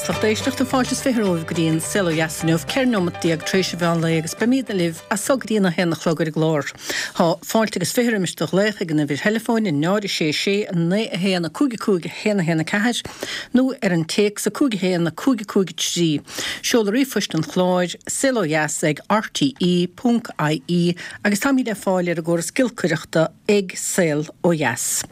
Lucht éisteachta, fáilte is 20 romhaibh go dtí an Saol Ó Dheas inniu, 14 neomat tar éis an mheán lae agus beimídne libh as so go dtí an 1 a chlog ar an gclár. Tá fáilte agus 20 roimis do ghlaoch ag an uimhir theileafóin, 0 6 6 9 1 5 5 1 1 4, nó ar an téacs 5 1 5 5 3. Seoladh ríomhphoist an chláir, saolodheas ag rte ponc ie agus táimid le fáil ar an gcóras giolcaireachta ag Saol Ó Dheas.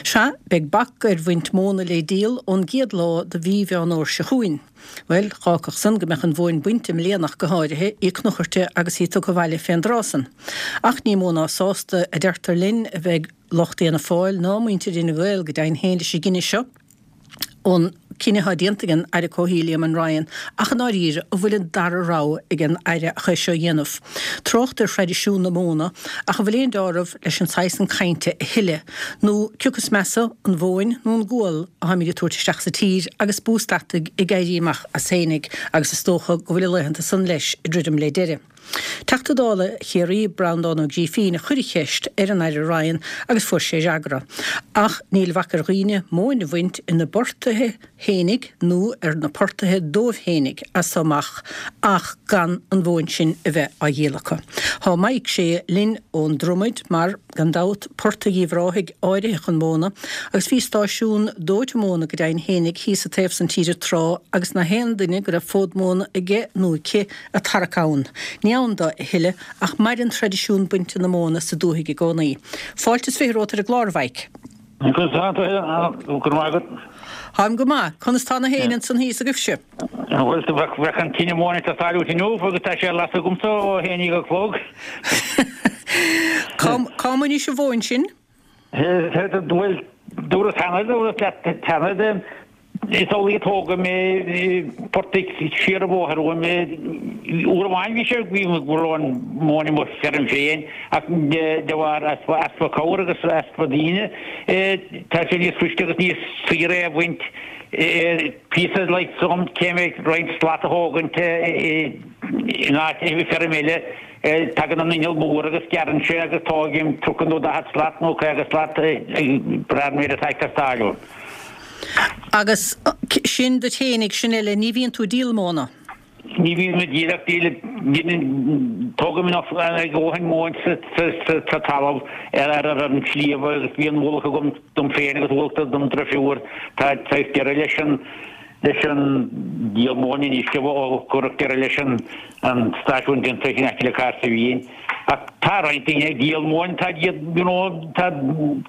Sea, beidh bac ar bhaint móna le díol ón gcéad lá de mhí Mheán Fhómhair seo chugainn. Bhuel, dh'fhágfadh san go mbeadh an mhóin bainte i mbliana ach go háirithe, í cnuchairte agus í tugtha abhaile fén dtráth san. Ach ní mó ná sásta, a deirtear linn, a bheidh lucht Fhianna Fáil ná muintir Fhine Gael go deimhin féin leis an gcinneadh seo. an cinneadh atá déanta ag an Aire Comhshaoil Eamon Ryan ach i ndáiríre an bhfuil an dara rogha ag an Aire ach é seo a dhéanamh? Trácht ar thraidisiún na móna ach an bhfuil aon deáramh leis an saghas san cainte a thuilleadh? Nó cioca is measa, an mhóin nó an gual atáimid ag tabhairt isteach sa tír agus bús deataigh ag éirí amach as fhéinig agus is dócha go bhfuil a laethanta san leis ag druidim le deireadh. Teachta Dála Chiarraí, Breandán Ó Grífín, a chuir an cheist ar an Aire Ryan agus fuair sé fhreagra. Ach níl bac ar dhaoine móin a bhaint ina bportaigh fhéinig nó ar na portaigh dóibh fhéinig as so amach ach gan an mhóin sin a bheith á dhíol acu. Thá Maidhc Sé linn ón Dromaid mar, gan dabht, portaigh Uíbh Ráthaigh áirithe chun móna agus bhí stáisiún dóite móna go deimhin fhéinig thíos an taobh san tíre tráth agus na haon duine go raibh fód móna aige nó aici ag tarrac ann. Ní ann do a thuilleadh ach maireann traidisiún bainte na móna sa dúthaigh i gcónaí. Fáilte is 20 romhat ar an gclár, a Mhaidhc. Conas tá tú? Go raibh maith agat. Táim go maith. Conas tá na héin ansan thíos agaibhse? Bhuel, bheadh an tine mhóna ag teastáil uait inniu agus tá sé á lasadh agamsa ó a haon déag a chlog. Cá mbainis an mhóin sin? Bhuel, dúras cheana, dúras leat cheana, is amhlaidh a tógadh mé portaigh siar an bhóthar uaim. Uair amháin bhí sé, bhí go raibh an mhóin i mo feirm féin ach de bharr easpa, easpa cabhair agus easpa daoine, tá sé níos fuiste agus níos saoire é a bhaint píosa like some cé mé roinnt slat a thógaint in áit i feirm eile. Tagann an inneall mór agus gearrann sé agus tógaim 30 nó 40 slat nó 50 slat ag brath ar an méid atá ag teastáil uaim. Agus sin duit fhéinig, sin eile, ní bhíonn tú ag díol móna? Ní bhím ag díol ach díol, tógaim enough a dhóthain móin sa talamh ar an sliabh agus bíonn ualach agam dom féin agus ualach dom drifiúr. Tá saghas deireadh leis an leis an díol móin anois ó cuireadh deireadh leis an stáisiún déanta in aice le Cahersiveen. Ach tá roinnt daoine ag díol móin, tá iad, you know, tá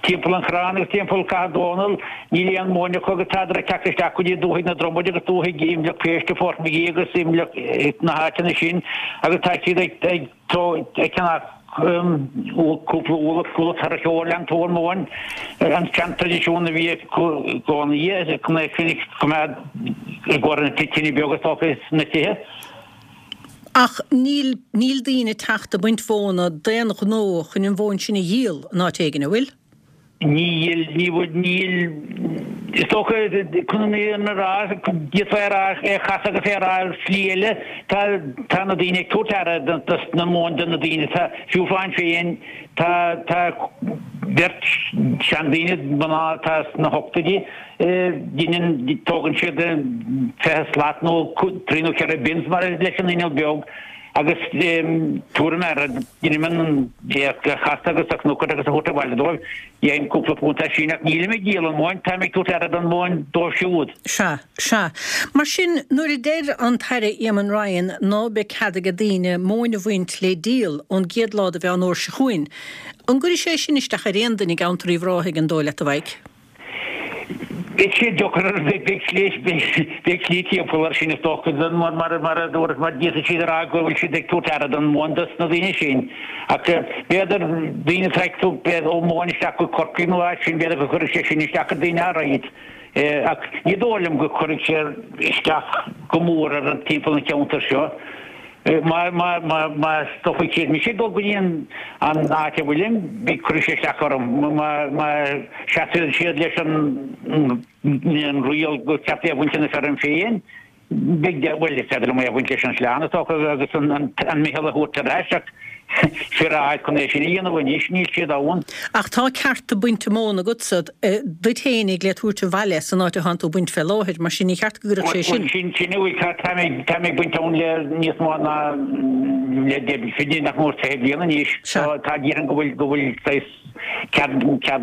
timpeall an Chorráin agus timpeall Cathair Dónall, níl aon mhóin acu agus tádar ag teacht isteach go dtí dúthaigh na Dromaide agus dúthaigh Imleach Péiste, Portmagee agus Imleach na háiteanna sin agus tá siad ag ag ag ceannach cúpla ualach ualach thar a chomhairle an tóin móin an sean-traidisiún a bhí i gcónaí chun é sin a choimeád i gcomhair na tine beag is dócha sna tithe. Ach níl níl daoine ag teacht ag baint mhóna d'aon ghnó chun an mhóin sin a dhíol in áit éigin, an bhfuil? Níl, ní bhfuil, níl, is dócha, chun an fhírinne a rá, d'fhéadfá é a rá, é a chasadh agus é a rá ar shlí eile, tá, tá na daoine ag tabhairt aire dos na móin do na daoine, tá, fiú fáin féin, tá, tá beirt seandaoine, mná atá sna hochtóidí, deineann, tógann siad 20 slat nó trí nó ceithre bins mar leis an inneall beag agus tabhairim aire, deinim an é a chasadh agus a chnocadh agus a thabhairt abhaile dóibh. Dhéanaim cúpla punt as sin ach nílim ag díol an mhóin, táim ag tabhairt aire don mhóin dóibh siúd. Sea, sea. Mar sin, nuair a deir an tAire Eamon Ryan ná beidh cead aige daoine móin a bhaint le díol ón gcéad lá de Mheán Fhómhair seo chugainn, an gcuirfidh sé sin isteach ar aon duine i gceantar Uíbh Ráthaigh, an dóigh leat, a Mhaidhc? Beidh sé deacair, beidh slí, beidh slí timpeall air sin is dócha, mar, mar, mar a dúras, mar d'fhéadfadh siad a rá go bhfuil siad ag tabhairt aire don mhóin dos na daoine sin. Ach b'fhéidir daoine atá ag tabhairt ó mhóin isteach go Corcaigh nó áit sin, b'fhéidir go gcuirfidh sé sin isteach ar daoine áirid. Ach ní dóigh liom go gcuirfidh sé isteach go mór ar an timpeall an cheantair seo. Má, má, má, má stopfaidh siad mise ag dul go dtí an, an áit a bhfuilim, beidh, cuirfidh sé isteach orm. Má, má seasann siad leis an, an riail gur ceart é a bhaint ina feirm féin, beidh, bhuel, is féidir liom é a bhaint leis an sleán is dócha agus an, an, an meitheal a thabhairt ar ais ach. Fir a fháil chun é sin a dhéanamh anois, níl siad ann. Ach tá cearta bainte móna agatsa duit fhéinig le tabhairt abhaile san áit atánn tú ag baint fé láthair, mar sin ní cheart go gcuirfeadh sé sin. Bhuel, sin, sin a bhfuil, tá, tá mé, tá mé ag baint ann le níos mó ná le deich, fiche, nach mór 20 bliain anois. Sea. Tá, tá, déarfainn go bhfuil, go bhfuil saghas cead, cead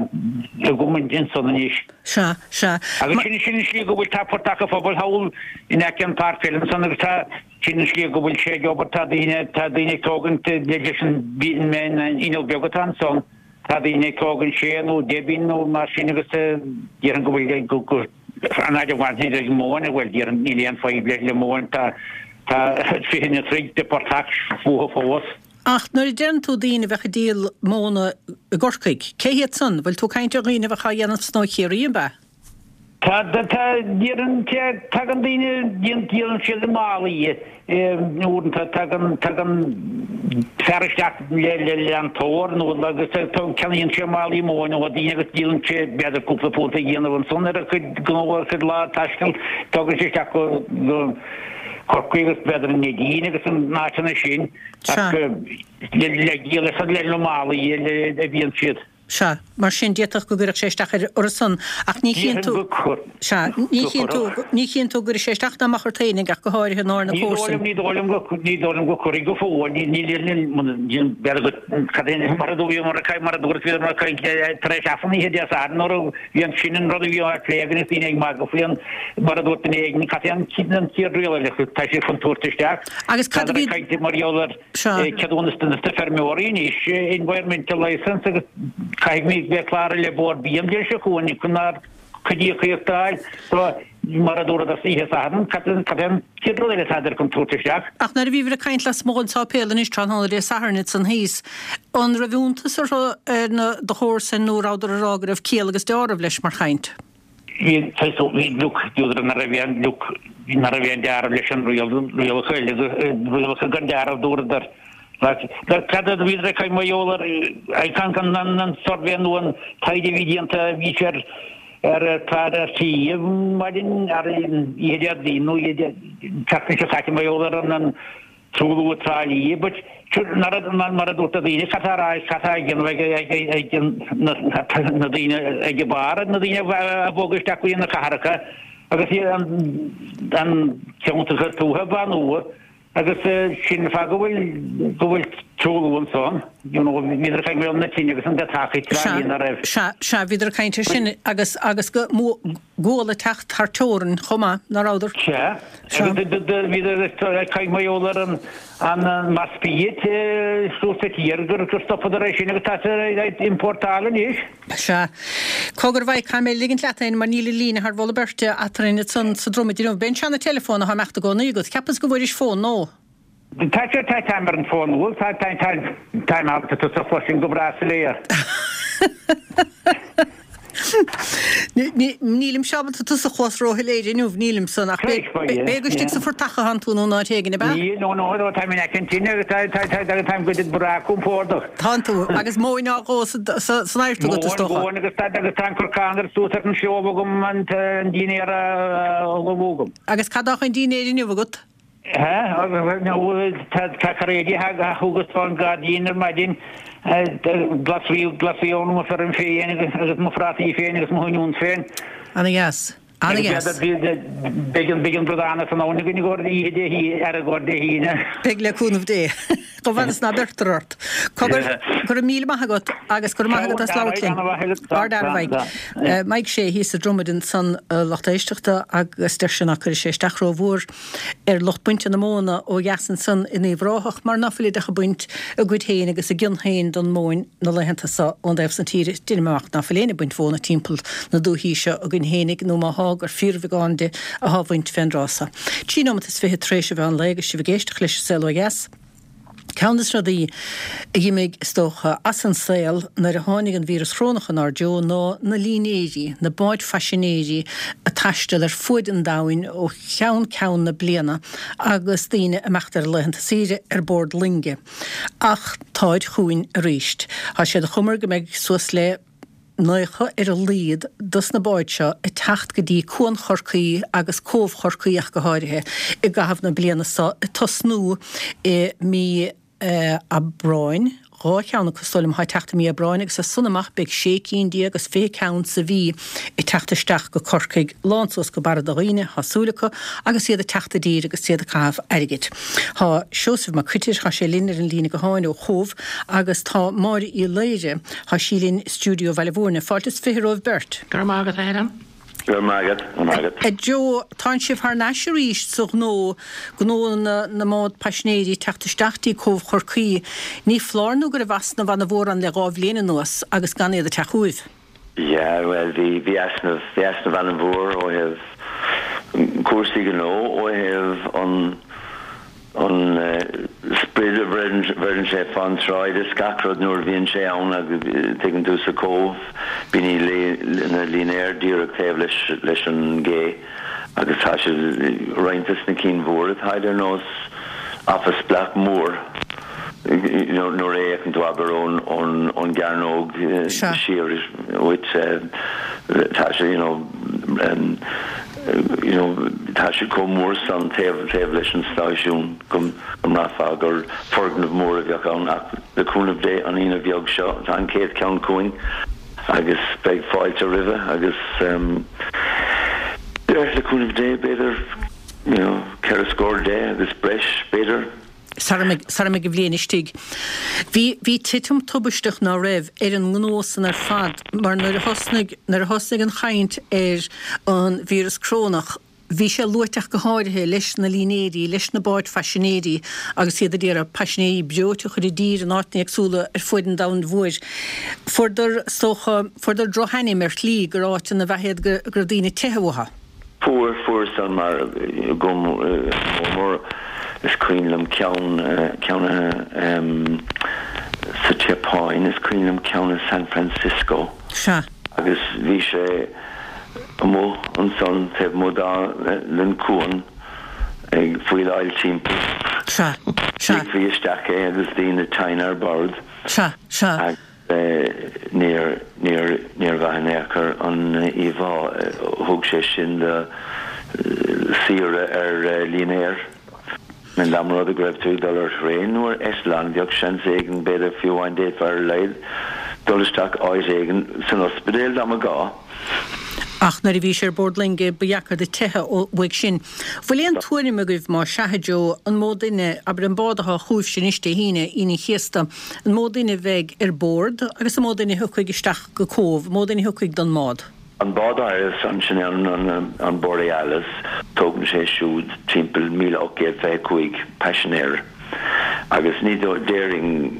agam ansan anois. Sea, sea. Agus sin, sin an slí go bhfuil, tá portach an phobail thall in aice an pháirc pheile ansan agus tá, Sin an slí go bhfuil sé ag obair, tá daoine, tá daoine ag tógaint leis an inneall beag atá ansan, tá daoine ag tógaint sé nó 10 binn nó mar sin agus déarfainn go bhfuil, go, go, an fhaid a bhainfidh ag móin, bhuel déarfainn níl aon fadhb le, le móin, tá, tá 20 nó troigh de portach fúthu fós. Ach nuair a deireann tú daoine a bheadh ag díol móna i gCorcaigh, cé hiad san? Bhfuil tú ag caint ar dhaoine a bheadh á dhéanamh san ó Chiarraí, an ea? Tá, tá, déarfainn, tagann daoine, díolann siad i málaí uaireanta, tagann, tagann fear isteach le, le leantóir nó agus ceannaíonn sé málaí móin ó daoine agus díolann sé b'fhéidir cúpla punt a dhéanamh ansan ar a chuid gnó, ar a chuid lá taistil, tugann sé isteach go, go Corcaigh agus b'fhéidir an Neidín agus an áiteanna sin ach le, le díol le na málaí a bhíonn siad. Sea, mar sin, d'fhéadfadh go gcuirfeadh sé isteach ar orthusan, ach ní chíonn tú, sea, ní chíonn tú, ní chíonn tú go gcuirfidh sé isteach ná amach ort fhéinig, ach go háirithe ná ar na Ní dóigh comharsain. liom, ní dóigh liom go, ní dóigh liom go cuirfidh go fóill, ní, ní, ní, ní, b'fhéidir go, cad é, mar a dúirt, mar a, mar a dúirt, bhíodar ag caint tar éis Aifreann oíche Dé Sathairn nuair a bhí an, sin an rud a bhí á phlé againn agus daoine ag magadh faoi an, mar a dúirt duine éigin, cad é an, an chéad riail eile, tá siad chun tabhairt isteach. Agus cad a Táthar bhí, ag caint mar gheall ar. Sea. Ceadúnas do na feirmeoirí anois, environmental licence, agus caithfimid bheith cláraithe le Bord Bia an bhliain seo chugainn chun ár gcuid íocaíocht a fháil. So, mar a dúradar oíche Sathairn, cad é an chéad rud eile atádar chun tabhairt isteach? Ach nuair a bhíobhair ag caint lasmuigh den sáipéal anois tráthnóna Dé Sathairn ansan thíos, an raibh iontas orthu ar na do chomharsain nó rabhadar ag rá go raibh ciall agus deáramh leis mar chaint? Bhí, bhí, look, dúradar nach raibh aon, look, nach raibh aon deáramh leis an riail, rialacha eile, rialacha gan deáramh dúradar. Like, cad a bhíodar ag caint mar gheall ar, ag caint an, an, an suirbhé nó an taighde a bhí déanta, bhí sé ar, ar, ar chlár RTÉ maidin, ar oíche Déardaoin nó oíche tseachtain seo caite mar gheall ar an, an, Truailliú i dTrá Lí, but mar a dúirt na daoine, cad tá á rá, cad tá á dhéanamh ag na daoine ag an barr, na daoine a bhog isteach go dtí na cathracha agus an ceantracha tuaithe a bhánú agus sin an fáth go bhfuil go bhfuil truailliú ansan, you know, bhíodar ag caint mar na tine agus an deatachaí Trá Lí ná raibh. Sea, sea, bhíodar ag caint ar sin agus agus go gual ag teacht thar teorainn chomh maith, ná rabhadar? Sea. Bhíodar ag caint mar gheall ar an mass feed suas sa tír gur stopadar é sin agus tá siad ag importáil anois. Sea. Cogar a Mhaidhc, caithfidh mé ligint leat fhéin mar níl an líne thar mholadh beirte eatarinn ansan sa Dromaid inniu. B'é an seana-teileafón atá ag imeacht i gcónaí agat. Cheapas go bhfuairis fón nua. Tá sé, tá, táim ar an bhfón nua, tá, tá, tá, táim ábalta tusa a chloisint go breá soiléir. Nílimse ábalta tusa a chlos róshoiléir inniu, nílim san, ach b'é go istigh sa phortach atánn tú nó in áit éigin, ab ea? Níl, no, no, no, táim in aice an tine agus tá, tá, tá, tá, táim go breá compordach. Tánn tú, agus móin á dhó san adhairt agat, is dócha. Móin, agus tá, agus tá an corcán ar suas ar an stove agam an dinnéar á ullmhú agam. Agus cad tá chun dinnéir inniu agat? Tá cairéidí a thugas ón gairdín ar maidin, glasraí, glasraí ó mo feirm féin agus mo phrátaí féin agus mo oinniúin féin. Ana dheas. Ana dheas. Beidh an, beidh an bradán as an abhainn againn i gcomhair oíche Dé hAoine, ar i gcomhair Dé hAoine. Beidh le cúnamh Dé. Chomh fada is ná beirtear ort. Cogar, go raibh míle maith agat agus go raibh maith agat as labhairt linn. Ard-fhear a Mhaidhc. Maidhc Sé thíos sa Dromaid ansan, a lucht éisteachta, agus deir sé ná cuirfidh sé isteach rómhór ar lucht bainte na móna ó dheas ansan in Uíbh Ráthach mar ná fuilid ach ag baint a gcuid féin agus a gcion féin don mhóin na laethanta so ón dtaobh san tíre. Deinim amach ná fuil éinne ag baint mhóna timpeall na dúichí seo againn fhéinig nó má thá gur fíorbheagán di athá á bhaint fén dtráth so. 23 nóimeat tar éis an mheán lae agus sibh ag éisteacht leis An Saol Ó Dheas. Ceann de na rudaí a dh'imigh, is dócha, as an saol nuair a tháinig an víreas chorónach inár dtreo ná na línéirí, na báid phaisinéirí ag taisteal ar fuaid an domhain ó cheann ceann na bliana agus daoine ag imeacht ar a laethanta saoire ar bord loinge. Ach táid chugainn arís. Tá siad ag cumar go mbeidh suas le. 90 ar a laghad dos na báid seo ag teacht go dtí Cuan Chorcaí agus Cóbh Chorcaí ach go háirithe i gcaitheamh na bliana seo ag tosnú i mí. Aibreáin, 2 cheann acu is dóigh liom atá ag teacht i mí Aibreáin agus as san amach beidh 16 cinn is 20 ceann sa mhí ag teacht isteach go Corcaigh, lán suas go barra de dhaoine, thá súil acu, agus iad ag teacht i dtír agus iad ag caitheamh airgid. Thá Seosamh Mac Coitir, thá sé linn ar an líne gutháin ó Chóbh agus tá Máire Uí Laoire, thá sí linn i stiúideo Bhaile Mhúirne. Fáilte is 20 romhaibh beirt. Go raibh maith agat, a Helen. Go raibh maith agat, go raibh maith agat. A Joe, tánn sibh thar n-ais arís sa ghnó, gnó na na mbád paisinéirí ag teacht isteach dtí Cóbh Chorcaí. Ní foláir nó go raibh easnamh ana mhór ann le 2 bhliain anuas agus gan iad ag teacht chugaibh. Yeah, bhuel bhí, bhí easnamh, bhí easnamh ana mhór ó thaobh cúrsaí gnó, ó thaobh an, an sprid a bheireann sé fán tsráid is gach rud nuair a bhíonn sé ann agus tuigeann tú sa Chóbh bíonn na línéir díreach taobh leis leis an gcé agus tá siad roinnt des na cinn mhóra táid ar nós office block mór nuair a fhéachann tú abair ón ón ón gcearnóg siar uait tá sé you know you know tá sé chomh mór san taobh taobh leis an stáisiún go mbraithfeá gur foirgneamh mór a bheadh ann ach le cúnamh Dé an Aoine bheag seo tá an chéad cheann chugainn agus beidh fáilte roimhe agus yeah le cúnamh Dé b'fhéidir you know ceithre scór de agus breis b'fhéidir. sara mbeidh, sara mbeidh an bhliain istigh. Bhí, bhí titim tubaisteach ná raibh ar an ngnó san ar fad mar nuair a thosnaigh, nuair a thosnaigh an chaint ar an víreas corónach, bhí sé luaite ach go háirithe leis na línéirí, leis na báid phaisinéirí agus iad ag iarraidh paisinéirí breoite a chur i dtír in áiteanna éagsúla ar fuaid an domhain mhóir. Fuaireadar, is dócha, fuaireadar drochainm ar shlí gur áiteanna ab ea iad go raibh daoine ag teitheadh uathu. Fuair, fuair san mar go mór mór is cuimhin liom ceann, ceann sa tSeapáin, is cuimhin liom ceann i San Francisco. Sea. Agus bhí sé amuigh ansan taobh amuigh dá, den chuan ag faoileáil timpeall. Sea, sea. Ligfí isteach é agus daoine tinn ar bord. Sea, sea. Níor, níor, níor mhaith in aon chor an íomhá. Thug sé sin do saoire ar línéar. Dá mba rud é go raibh tú ag dul ar thraein nó ar eitleán, bheadh seans éigin, b'fhéidir, fiú amháin d'fhéadfá ar a laghad dul isteach áit éigin san ospidéal dá mba ghá. Ach nuair a bhí sé ar bord loinge ba dheacair duit teitheadh uaidh sin. Bhfuil aon tuairim agaibh, má sea, a Joe, an mó duine, abair an bád atá chugaibhse anois Dé hAoine, Aoine an Chéasta, an mó duine a bheidh ar bord agus an mó duine a thiocfaidh isteach go Cóbh, an mó duine a thiocfaidh don mbád? An bád áirithe san, sin é an Borealis, tógann sé siúd timpeall 1,825 paisinéir agus ní déarfainn,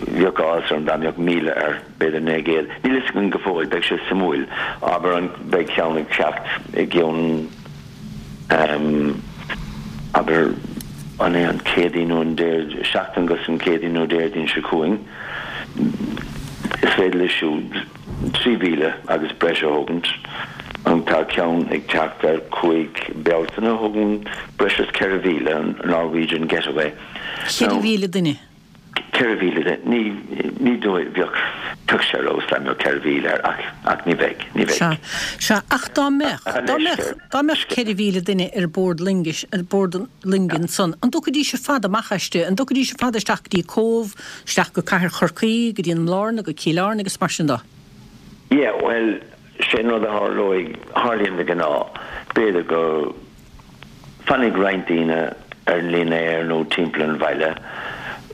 bheadh áthas orm dá mbeadh 1,000 air, b'fhéidir 900, níl fhios againn go fóill, beidh sé suimiúil, abair an, beidh ceann ag teacht i gcionn abair an é an Céadaoin nó an Déard, seachtain agus an Céadaoin nó Déardaoin seo chugainn, is féidir leis siúd 3,000 agus breis a thógaint. An tá ceann ag teacht ar 5 Bealtaine a thógann breis is 4,000, an Norwegian Getaway. 4,000 duine? 4,000 de, ní, ní dóigh, bheadh, bheadh sé ar fheabhas dá mbeadh 4,000 air ach, ach ní bheidh, ní bheidh. Sea, sea, ach dá mbeadh, dá mbeadh, dá mbeadh 4,000 duine ar bord loingis, ar bord loinge ansan, an dtiocfaidís ar fad amach aisti, an dtiocfaidís ar fad isteach go dtí Cóbh, isteach go Cathair Chorcaí, go dtí an mBlárna, go Cill Airne agus mar sin de? Yeah, bhuel, sé an rud a tharlóidh, tharlaíonn de ghnáth, b'fhéidir go, Fanfaidh roinnt daoine ar an línéar nó timpeall an bhaile.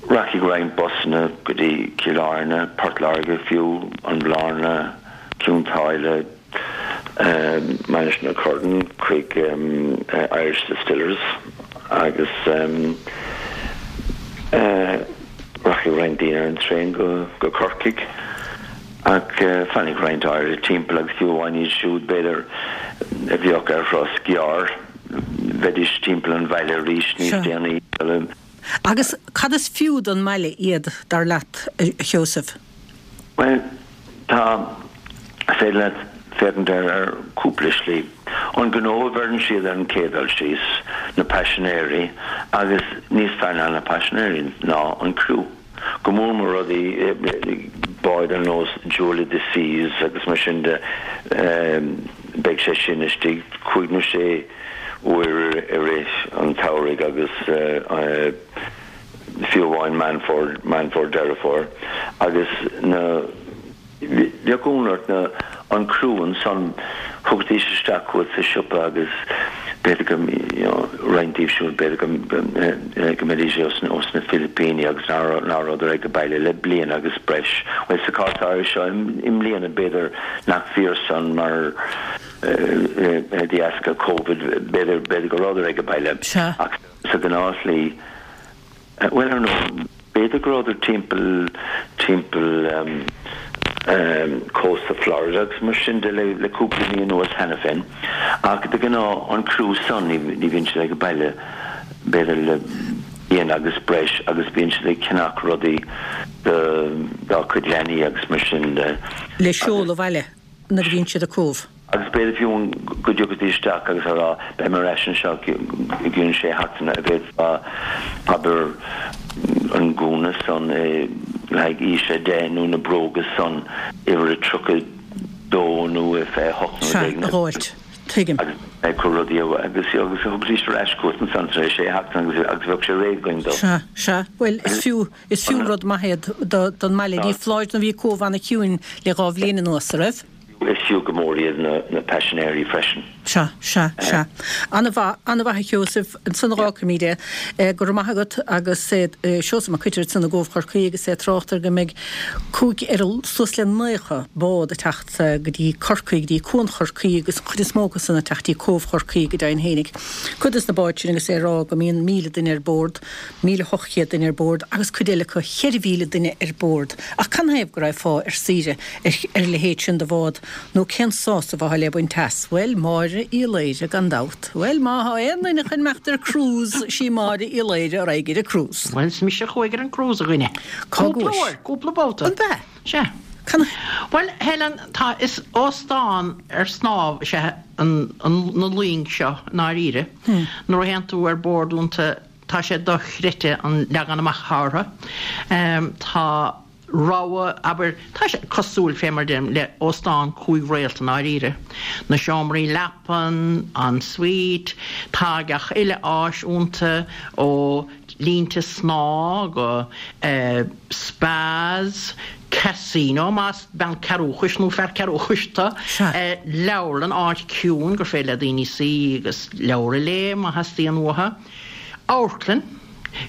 Rachaidh roinnt busanna go dtí Cill Airne, Port Láirge fiú, an Bhlárna, Cionn tSáile, Mainistir na Corann chuig Irish Distillers agus rachaidh roinnt daoine ar an traein go Corcaigh. Ach fanfaidh roinnt áirithe timpeall agus fiú amháin iad siúd, b'fhéidir, a bheadh ar thuras gearr, bheidís timpeall an bhaile arís níos déanaí. Agus cad is fiú don mbaile iad, dar leat, a Sheosaimh? Bhuel, tá, is féidir leat féachaint air ar chúpla slí. An gnó a bheireann siad ar an chéad dul síos, na paisinéirí, agus níos fearr ná na paisinéirí ná an criú. Go mór mór rudaí, báid ar nós Jewel of the Seas agus mar sin de, beidh sé sin istigh cúig nó sé uair i rith an tsamhraidh agus. fiú amháin Meán Fómhair, Meán Fómhair, Deireadh Fómhair agus na, bheadh ionadh ort na, an criú ansan, thiocfaidís isteach chugat sa siopa agus b'fhéidir go, you know, roinnt díobh siúd b'fhéidir go, go mbeidís ós, ós na Filipíní agus ná raibh, ná rabhadar ag baile le bliain agus breis. Bhuel sa chás áirithe seo i mbliana b'fhéidir nach fíor san mar de dheasca Covid b'fhéidir, b'fhéidir go rabhadar ag baile Sea. ach sa ghnáthshlí, Bhuel, ar ndóigh, b'fhéidir go rabhadar timpeall, timpeall cósta Florida agus mar sin de le cúpla mí anuas cheana féin. Ach de ghnáth, an criú san, ní bhíonn siad ag baile b'fhéidir le bliain agus breis agus bíonn siad ag ceannach rudaí do, dá gcuid leanaí agus mar sin de. Le seoladh abhaile nuair a bhíonn siad i Cóbh. Agus b'fhéidir fiú go dtiocfaidís isteach agus a rá, beidh mé ar ais anseo i gcionn sé sheachtaine, an bhféadfá, abair, an gúna san le haghaidh aois 10 nó na bróga san, uimhir a 32 nó a 28 nó Sea, rud éigin a dh'fháilt. Tuigim. Agus ag cur rudaí agus agus thugaidís ar ais chugat ansan tar éis sé sheachtaine agus agus bheadh sé réidh againn dó. Sea, sea. Bhuel, is fiú, is fiú rud maith é don mbaile. Ní foláir nó bhí Cóbh ana-chiúin le dha bhliain anuas, a raibh? Is fiú go mór iad na paisinéirí freisin. Sea, sea, sea. An-mhaith, an-mhaith a Sheosaimh. Ansan a dh'fhágfaimid é. Go raibh maith agat agus Seosamh Mac Coitir ansan i gCóbh Chorcaí agus é ag trácht ar go mbeidh cúig ar suas le 90 bád ag teacht go dtí Corcaigh, go dtí Cuan Chorcaí agus an chuid is mó acu san ag teacht dtí Cóbh Chorcaí go deimhin fhéinig. Cuid des na báid sin agus é ag rá go mbíonn 1,000 duine ar bord, 1,800 duine ar bord agus cuid eile acu 4,000 duine ar bord. Ach canathaobh go raghfá ar saoire ar a leithéid sin de bhád nó cén sásamh atá le baint as? Bhuel, Máire Uí Laoire gan dabht. Bhuel, má thá aon duine chun imeacht ar cruise, sí Máire Uí Laoire a raghaidh ar an cruise. Bhuel, is mise a chuaigh ar an cruise, a dhuine. Cá Cúpla gcuais? uair, cúpla babhta. An b'ea? Sea. Can. Bhuel, Helen, tá, is óstán ar snámh is ea an, an, na loing seo, i ndáiríre. Nuair a théann tú ar bord iontu, tá sé dochreidte an leagan amach atá orthu. Tá rogha, abair, tá sé cosúil, fé mar deirim, le óstán cúig réalt i ndáiríre. Na seomraí leapan, en suite, tá gach uile áis iontu, ó línte snámha go spas, casino, más bean cearúchais nó fear cearúchais tú, leabharlann, áit ciúin gur féidir le daoine suí agus leabhar a léamh má theastaíonn uathu, amharclann,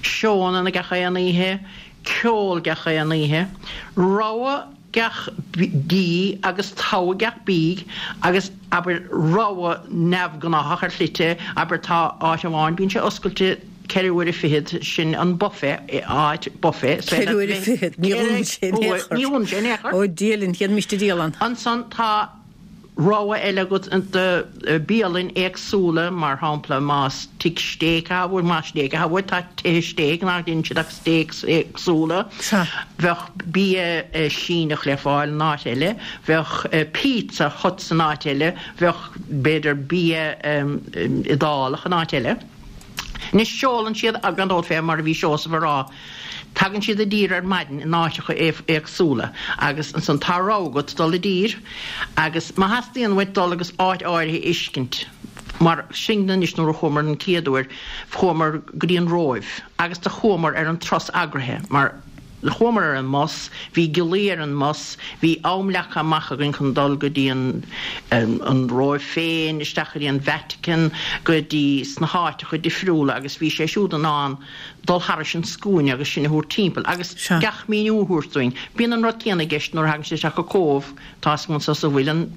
seónna gach aon oíche, ceol gach aon oíche, rogha gach dí agus togha gach bídh agus, abair, rogha neamhghnáthach ar shlite, abair, tá áit amháin, bíonn sé oscailte ceithre huaire fichead, sin an buffet, áit buffet, is féidir Ceithre huaire fichead, ní dhúnann sé in aon chor. Ní dhúnann sé in aon chor. Ó Dia linn, chéad miste dialann. Ansan tá. rogha eile agat de bialainn éagsúla, mar shampla más tigh stéic atá uait, más stéic atá uait, tá tithe stéic nach ndéanann siad ach steaks éagsúla. Bheadh bia Síneach le fáil in áit eile, bheadh Pizza Hut san áit eile, bheadh b'fhéidir bia Iodálach in áit eile. Anois seolann siad, gan dabht fé mar a bhí Seosamh a rá, tagann siad i dtír ar maidin in áiteacha éagsúla agus ansan tá rogha agat dul i dtír agus má theastaíonn uait dul agus áit áirithe a fheiscint, mar sin anois nuair a chuamar an chéad uair chuamar go dtí an Róimh agus do chuamar ar an turas eagraithe mar Chuamar ar an mbus, bhí giollaí ar an mbus, bhí am leagtha amach againn chun dul go dtí an an Róimh féin, isteach go dtí an Vatican, go dtí sna háiteacha difriúla agus bhí sé siúd in ann dul thairis an scuaine agus sinn a thabhairt timpeall agus gach míniú a thabhairt dúinn. Bíonn an rud céanna i gceist nuair a thagann siad isteach go Cóbh. Tá 'fhios agam anso sa Mhuileann,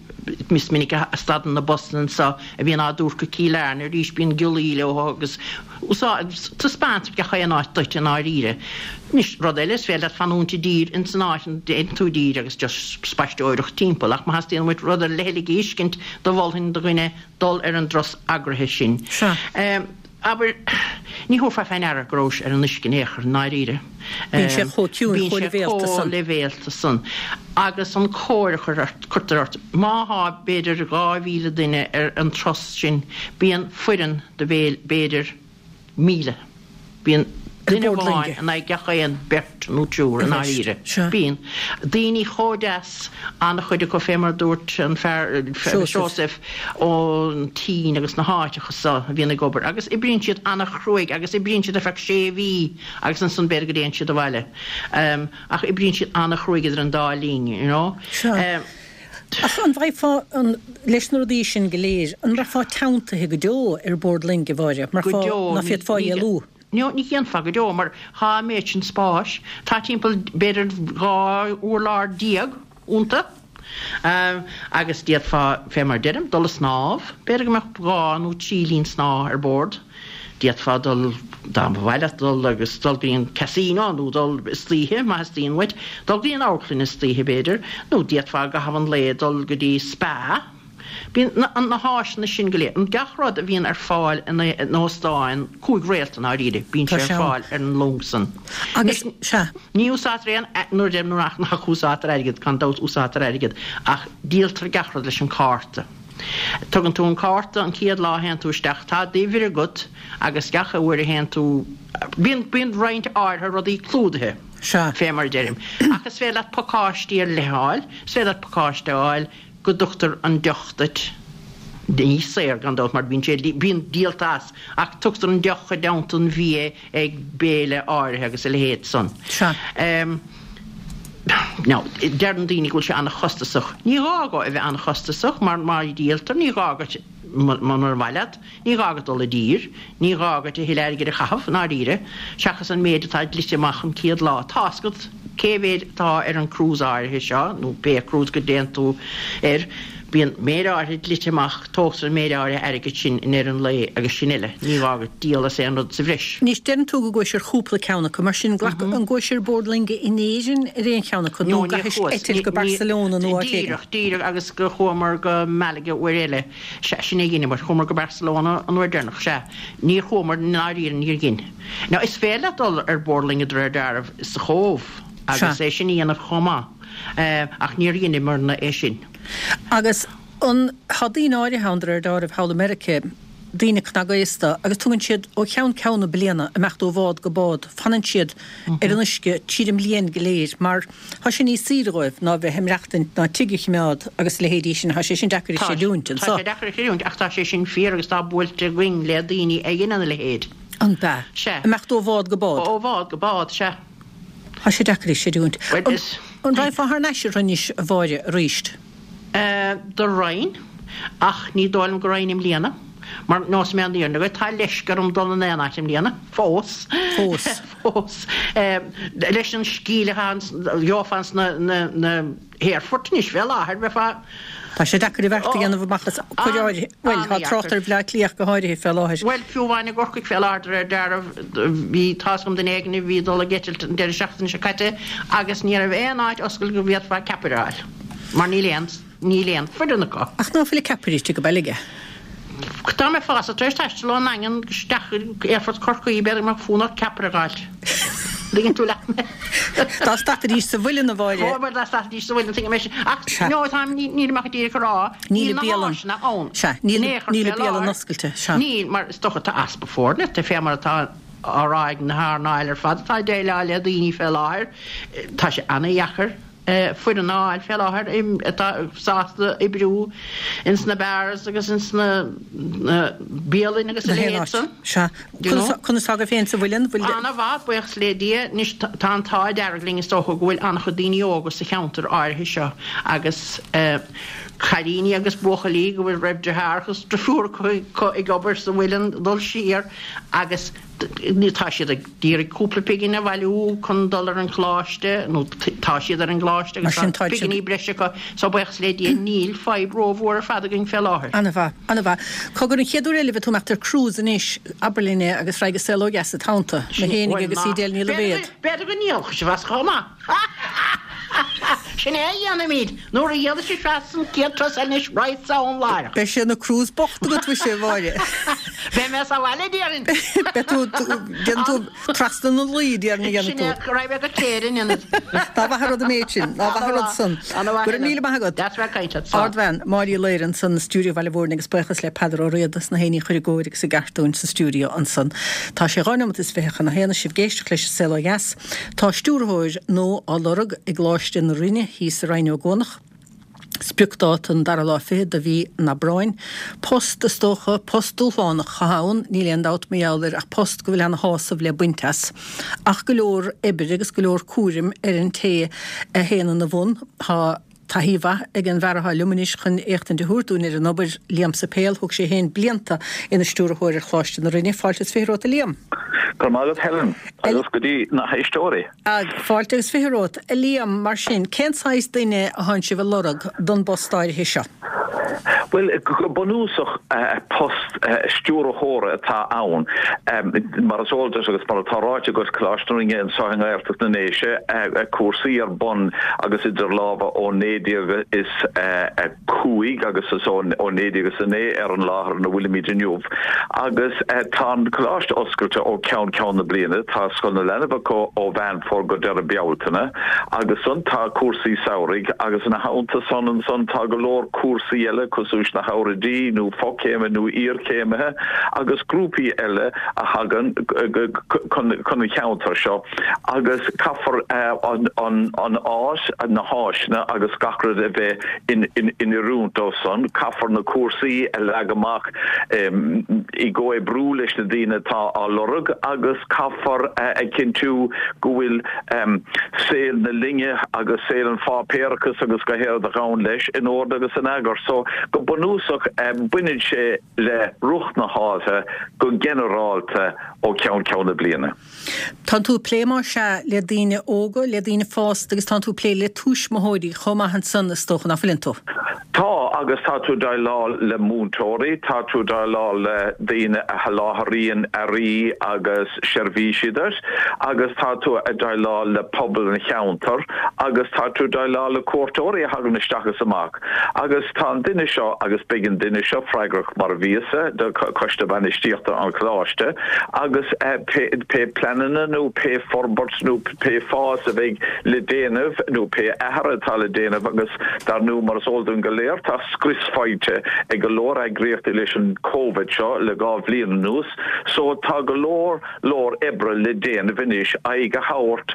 is minic a stadann na busanna anso a bhíonn á dtabhairt go Cill Airne arís, bíonn giollaí leo agus taispeántar gach aon áit duit i ndáiríre. Anois, rud eile, is féidir leat fanúint i dtír ins an áit a dtéann tú i dtír agus just spaisteoireacht timpeall ach má theastaíonn uait rud ar leithligh a fheiscint, do mholfainn do dhuine dul ar an dturas eagraithe sin. Sea. Abair, ní thabharfá fé ndeara go rabhais ar an uisce in aon chor, i ndáiríre. Bíonn sé chomh ciúin, chomh leibhéalta san. Bíonn sé chomh leibhéalta san. Agus an cóir a chuirtear ort. Má thá, b'fhéidir, 2,000 duine ar an turas sin, bíonn foireann de b'fhéidir 1,000. Bíonn. Duine amháin in aghaidh gach aon beirt nó triúr i ndáiríre. Bíonn. Daoine chomh deas, an-chuid acu fé mar a dúirt an fear, Seosamh, ón tSín agus na háiteacha so a bhíonn ag obair agus oibríonn siad an-chruaidh agus oibríonn siad ar feadh sé mhí agus ansan b'fhéidir go dtéann siad abhaile. Ach oibríonn siad an-chruaidh idir an dá linn, you know. Sea. Ach an bhfaighfeá, leis na rudaí sin go léir, an mbraithfeá teanntaithe go deo ar bord loinge, a Mháire, mar Go deo, ná féadfá éalú? No, ní dhéanfá go deo, mar tá an méid sin spáis, tá timpeall b'fhéidir 12 urlár iontu, agus d'fhéadfá, fé mar deirim, dul a snámh, b'fhéidir go mbeadh dhá nó trí linn snámha ar bord, d'fhéadfá dul, dá mba mhaith leat dul agus dul go dtí an casino nó dul istoíche, má theastaíonn uait, dul go dtí an amharclann istoíche b'fhéidir, nó d'fhéadfá i gcaitheamh an lae dul go dtí spa. Bíonn na háiseanna sin go léir, gach rud a bhíonn ar fáil in óstáin cúig réalta i ndáiríre, bíonn sé ar fáil ar an long san. Agus, sea. Ní úsáidtear aon, nuair a deirim nach nach úsáidtear airgead, gan dabht úsáidtear airgead, ach díoltar gach rud leis an cárta. Tugann tú an cárta an chéad lá a théann tú isteach, tá d'uimhir agat agus gach uair a théann tú, bíonn, bíonn roinnt áirithe rudaí clúdaithe, Sea. fé mar a deirim. Ach is féidir leat pacáistí ar leith a fháil, is féidir leat pacáiste a fháil, go dtugtar an deoch duit, ní saor gan dabht mar bíonn sé, bíonn díolta as, ach tugtar an deoch i dteannta an bhia ag béile áirithe agus a leithéid san. Sea. Now, deireann daoine go bhfuil sé an-chostasach. Ní gá dhó a bheith an-chostasach mar má dhíoltar, ní gá duit, munar mhaith leat, Ní gá duit dul i dtír, ní gá duit a thuilleadh airgid a chaitheamh, i ndáiríre, seachas an méid atá dlite amach an chéad lá. Tá's agat cé mhéid atá ar an cruise áirithe seo, nó pé cruise go dtéann tú air, bíonn méid áirithe dlite amach, tógtar an méid áirithe airgid sin i ndeireadh an lae agus sin uile, ní gá duit díol as aon rud sa bhreis. Anois, deireann tú go gcuais ar chúpla ceann acu, mar sin, glac, an gcuais ar bord loinge in Éirinn ar aon cheann acu, nó No, níor gcaithis chuas. eitilt go Barcelona nó áit éigin? Díreach, díreach, agus go chuamar go Malaga uair eile. Sea, sin é a dheineamar. Chuamar go Barcelona an uair deireanach. Sea, níor chuamar, i ndáiríre, níor dhein. Now, is féidir leat dul ar bord loinge de réir dealraimh sa Chóbh agus Sea. é sin a dhéanamh chomh maith, ach níor dheineamarna é sin. Agus an, tá daoine áirithe ann de réir dealraimh thall i Meirice, daoine cnagaosta, agus tugann siad ó cheann ceann na bliana, imeacht ó bhád go bád, fanann siad ar an uisce tríd an mbliain go léir mar, Tá sé níos saoire dhóibh ná bheith ag maireachtaint ná tigh a chimeád agus a leithéidí sin. Tá sé sin deacair a chreidiúint anso. Tá sé deacair a chreidiúint ach tá sé sin fíor agus tá buailte againn le daoine a dheineann a leithéid. An b'ea? Sea. Imeacht ó bhád go bád. Ó bhád go bád, sea. Tá sé deacair a chreidiúint. Bhuel, is. An raghfá thar n-ais uirthi anois, a Mháire, aríst? Do raghainn, ach ní dóigh liom go raghainn i mbliana, mar neosfaidh mé an fhírinne dhuit, tá leisce orm dul in aon áit i mbliana, fós. Fós. Fós. Leis an scil atá ann, gheofá ins na, na, na haerfoirt anois fé láthair, bheifeá. Tá sé deacair an bheart a dhéanamh amach as cuid áirithe, bhuel, tá trácht ar Bhleá Cliath go háirithe fé láthair. Bhuel, fiú amháin i gCorcaigh fé láthair, de réir dealraimh, bhí, tá's agam duine éigin a bhí ag dul ag eitilt an deireadh seachtaine seo caite agus ní raibh aon áit oscailte go bhféadfá ceapaire a fháil. Mar níl aon, níl aon foireann acu. Ach ná fuil ceapaire istigh go Beilge? Dá mbeifeása tar éis taisteal ón nDaingean isteach go Aerfort Chorcaí, b'fhéidir go mbeadh fonn ort ceapaire a dh'fháilt. Tuigeann tú leat mé? Dá stadfaidís sa mhuileann, a Mháire. Ó, bhuel, dá stadfaidís sa mhuileann, tuigim é sin. Ach, no, táim, nílim ach díreach ag rá, Níl níl na bialann. háiseanna ann. Sea, níl, In aon chor níl fé an bialann láthair. oscailte, sea. Níl, mar is dócha tá easpa foirne, fé mar atá á rá ag na hearnáil ar fad atá ag déileáil le daoine fé láthair, tá sé ana-dheacair. foireann a fháil fé láthair atá sásta oibriú ins na bars agus ins na bialainn agus a leithéid san. Sea. Conas tá agaibh féin sa mhuileann? Bhfuil. Ana-mhaith, buíochas le Dia. Anois tá an t-ádh dearg linn is dócha go bhfuil an-chuid daoine óga sa cheantar áirithe seo agus cailíní agus buachaillí go bhfuil raibh deartháir agus drifiúr acu ag obair sa mhuileann dul siar agus Tá siad ag iarraidh cúpla pingin a bhailiú chun dul ar an choláiste, nó tá siad ar an gcoláiste agus tá pinginí breise acu, so buíochas le Dia níl fadhb rómhór ar fad againn fé láthair. Ana-mhaith, ana-mhaith. Cogar, an chéad uair eile a bheidh tú ag imeacht ar cruise anois, abair linn é agus raghaidh an saol ó dheas id theannta, mé fhéinig agus Edel Ní Loibhéad. B'fhéidir go ndíolfaidh sibh as chomh maith. Sin é a dhéanfaimid, nuair a dhíolfaidh sibh as an chéad turas eile anois, raghadsa ann láithreach. Beidh sé ina cruise bocht agat, mhuise, a Mháire. Beidh mé sa bhaile, déarfainn. Beidh tú, déanfaidh tú trasna na Laoi, déarfainn a dhéanfaidh tú. Sin é, raghaidh mé go Cléire in ionad. Ná maith an rud an méid sin, ná maith an rud san. Ana-mhaith. Go raibh míle maith agat. Deas bheith ag caint leat. Slán. Ardbhean, Máire Uí Laoire ansan i stiúideo Bhaile Mhúirne agus buíochas le Peadar Ó Riada as na héinní a chur i gcóir agus i gceart dúinn sa stiúideo ansan. Tá sé 2 neomat is 20 chun a haon is sibh ag éisteacht leis An Saol Ó Dheas. Tá stiúrthóir nua á lorg i gColáiste na Rinne thíos i Rinn Ó gCuanach. Spriocdáta an dara lá fichead de mhí an Aibreáin. Post, is dócha, post dúshlánach atá ann, níl aon dabht mar gheall air ach post go bhfuil ana-shásamh le baint as. Ach go leor oibre agus go leor cúraim ar an té a théann ina bhun. Tá taithí mhaith ag an bhfear atá liom anois chun éachtaint a thabhairt dúinn ar an obair, Liam Suipéil. Thug sé féin blianta ina stiúrthóir ar Choláiste na Rinne. Fáilte is 20 romhat a Liam. Go raibh maith agat Helen, agus go dtí na héisteoirí. Fáilte agus 20 romhat. A Liam, mar sin, cén saghas duine atánn sibh a lorg don bpost áirithe seo? Bhuel, go bunúsach, post stiúrthóra atá ann. Mar is eol duit agus mar atá ráite agat, Coláiste na Rinne anseo i nGaeltacht na nDéise, cúrsaí ar bun agus idir lámha ó 1905 agus is ó 1909 ar an láthair ina bhfuilimid inniu. Agus tá an coláiste oscailte ó cheann ceann na bliana. Tá Scoil na Leanbh acu ó Mheán Fómhair go deireadh Bealtaine agus ansan tá cúrsaí samhraidh agus ina theannta san ansan tá go leor cúrsaí eile cosúil leis na hoirfidigh nó fochéime nó iarchéimithe agus grúpaí eile a thagann chun an cheantair seo agus caithfear an áit, na háiseanna agus gach rud a bheith in oiriúint dó san. Caithfear na cúrsaí a leagan amach i gcomhoibriú leis na daoine atá á lorg agus caithfear a chinntiú go bhfuil saol na linne agus saol an pháipéarachais agus gach aon rud a ghabhann leis in ord agus in eagar. So, go bunúsach, baineann sé le rith na háite go ginearálta ó cheann ceann na bliana. Tánn tú ag plé más ea le daoine óga, le daoine fásta agus tánn tú ag plé le tuismitheoirí chomh maith ansan is dócha, nach bhfuileann tú? Tá, agus tá tú ag déileáil le múinteoirí, tá tú ag déileáil le daoine a sholáthraíonn earraí agus seirbhísí duit agus tá tú ag déileáil le pobal an cheantair agus tá tú ag déileáil le cuairteoirí a thagann isteach is amach. Agus tá an duine seo, agus beidh an duine seo freagrach mar a bhíos-sa, do Choiste Bainistíochta an Choláiste, agus pé pleananna nó pé forbairt nó pé fás a bheidh le déanamh nó pé athruithe atá le déanamh agus dar ndóigh mar is eol dúinn go léir tá scrios faighte ag go leor eagraíochtaí leis an Covid seo le 2 bhliain anuas so tá go leor leor oibre le déanamh anois aghaidh a thabhairt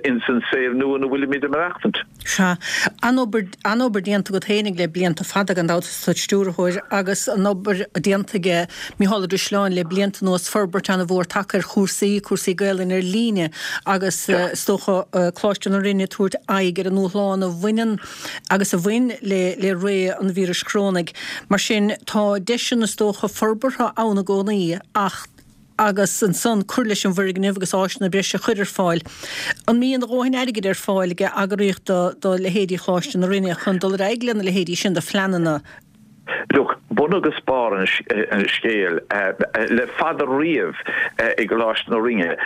ins an saol nua ina bhfuilimid ag maireachtaint. Sea. An-obair, an-obair déanta agat fhéinig le blianta fada gan dabht is tú id stiúrthóir agus an-obair déanta aige Mícheál Ó Drisleáin le blianta anuas, forbairt an-mhór tagtha ar chúrsaí, cúrsaí Gaelainne ar líne agus is dócha Coláiste na Rinne ag tabhairt aghaidh ar an ndúshlán a bhaineann agus a bhain le le ré an víris chorónaigh. Mar sin tá deiseanna is dócha forbartha ann i gcónaí ach, agus ansan cur leis an bhfoirgneamh agus áiseanna breise a chur ar fáil. An mbíonn a dhóthain airgid ar fáil ag eagraíocht do leithéidí Choláiste na Rinne chun dul ar aghaidh lena leithéidí sin de phleananna? Look, bun agus barr an scéil le fada riamh i gColáiste na Rinne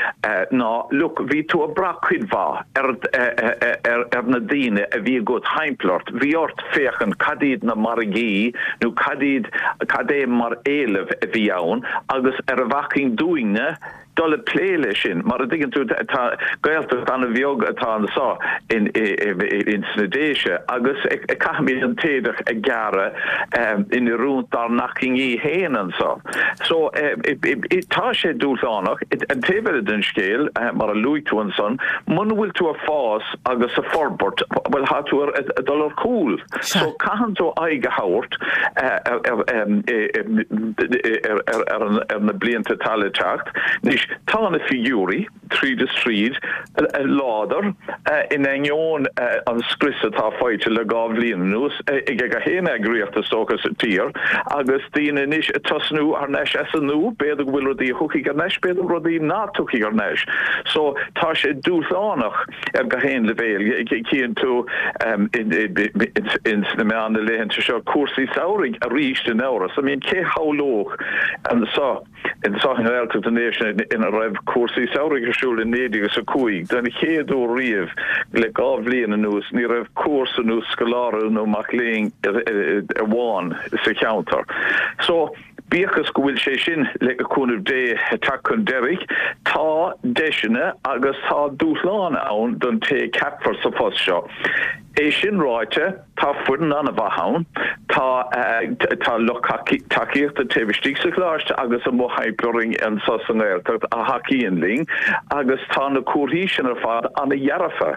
ná, look, bhí tú ag brath cuid mhaith ar na daoine a bhí agat thimpeall ort, bhí ort féachaint cad iad na margaí nó cad iad, cad é mar éileamh a bhí ann agus ar a bhfacainn dúinne dul ag plé leis sin. Mar a dtuigeann tú, tá Gaeltacht an-bheag atá anso in ins na Déise agus caithfimid an t-éadach a ghearradh in oiriúint dár n-achainí féin anso. So, tá sé dúshlánach. An taobh eile den scéal, mar a luaigh tú ansan, muna bhfuil tú ag fás agus ag forbairt, bhuel, tá tú ag dul ar chúl. So, caitheann tú aghaidh a thabhairt ar na blianta atá le teacht. Anois, tá na figiúirí, tríd is tríd, láidir, in ainneoin an scrios atá faighte le 2 bhliain anuas ag gach aon eagraíocht is dócha sa tír, agus daoine anois ag tosnú thar n-ais as an nua, b'fhéidir go bhfuil rudaí a thiocfaidh thar n-ais, b'fhéidir rudaí ná tiocfaidh thar n-ais. So, tá sé dúshlánach ar gach aon leibhéal. Cíonn tú ins na meáin na laethanta seo cúrsaí samhraidh arís in amhras. I mean, cé shamhlódh anso Anso i nGaeltacht na nDéise ina raibh cúrsaí samhraidh ar siúl i 1905, den chéad uair riamh le 2 bhliain anuas ní raibh cúrsa nó scoláire nó mac léinn amháin sa cheantar. So. Bíodh is go bhfuil sé sin, le cúnamh Dé, ag teacht chun deiridh, tá deiseanna agus tá dúshláin ann don té a ceapfar sa phost seo. É sin ráite, tá foireann an-mhaith ann, tá tá lucht tacaíochta taobh istigh sa Choláiste agus amuigh thimpeall orainn anseo sa nGaeltacht a thacaíonn linn agus tá na comharthaí sin ar fad an-dhearfa.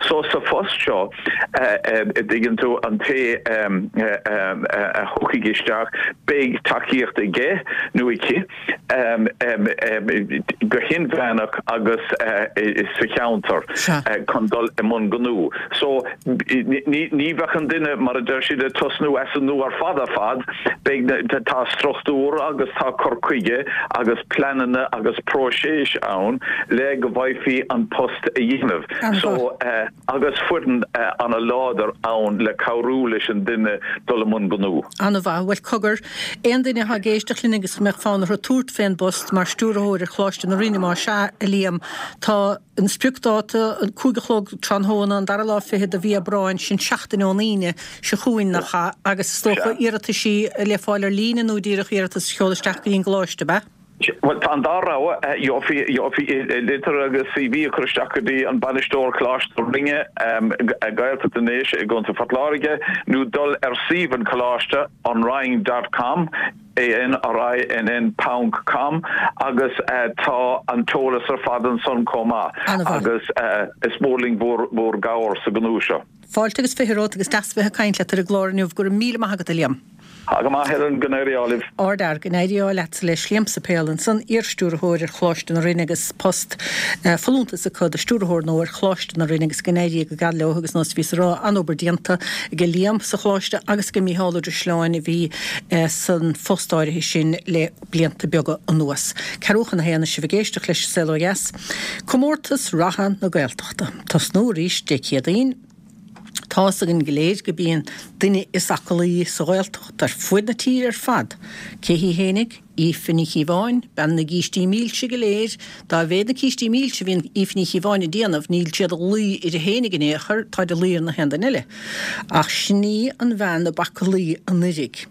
So sa phost seo, a dtuigeann tú, an té a thiocfaidh isteach, beidh tacaíocht aige nó aici. go hinmheánach agus sa cheantar chun dul i mbun gnó. So ní bheadh an duine, mar a deir siad, ag tosnú as an nua ar fad ar fad, beidh na, tá struchtúr agus tá cur chuige agus pleananna agus próiseas ann le go bhfaighfí an post a dhéanamh. So. agus foireann ana-láidir ann le cabhrú leis an duine dul i mbun gnó. An-mhaith. Bhuel, cogar, aon duine atá ag éisteacht linn agus go mbeadh fonn orthu tabhairt fén bpost mar stiúrthóir ar Choláiste na Rinne, más ea, a Liam, tá an spriocdáta, an 5 a chlog tráthnóna, an dara lá fichead de mhí Aibreáin, sin seachtain ón Aoine seo chugainn, nach ea? Agus is dócha iarrataisí le fáil ar líne nó díreach iarratas a sheoladh isteach go dtí an gcoláiste, ab ea? Bhuel, tá an dá rogha. Gheofaí litir agus CV a chur isteach go dtí an bainisteoir Coláiste na Rinne, Gaeltacht na nDéise i gContae Phort Láirge, nó dul ar suíomh an choláiste, anrinn dot com, A-N-R-I-N-N ponc com, agus tá an t-eolas ar fad ansan chomh maith. Agus is mór linn bhur gcabhair sa ghnó seo. Fáilte agus 20 romhat agus deas a bheith ag caint leat ar an gclár inniu. Go raibh míle maith agat, a Liam. Tá go maith, Helen, go n-éirí ádh libh. Ardfhear, go n-éirí ádh leatsa leis. Liam Suipéil ansan, iar-stiúrthóir ar Choláiste na Rinne agus post folúntas acu do stiúrthóir nua ar Choláiste na Rinne agus go n-éirí go geal leo agus nós a bhíos a rá, an-obair déanta ag Liam sa Choláiste agus ag Mícheál Ó Drisleáin a bhí san phost áirithe sin le blianta beaga anuas. Ceathrú chun a haon is sibh ag éisteacht leis An Saol Ó Dheas. Comórtas Reatha na Gaeltachta. Tosnú arís Dé Céadaoin. Tá's againn go léir go bíonn duine is aclaí sa Ghaeltacht ar fuaid na tíre ar fad. Cé hí fhéinig? Aoife Ní Chíobháin, bean na gcístí milse go léir. Dá mhéad na cístí milse a bhíonn Aoife Ní Chíobháin ag déanamh, níl siad ag luí uirthi fhéinig in aon chor, táid ag luí ar na haon duine eile. Ach sin í an bhean ab aclaí anuiridh.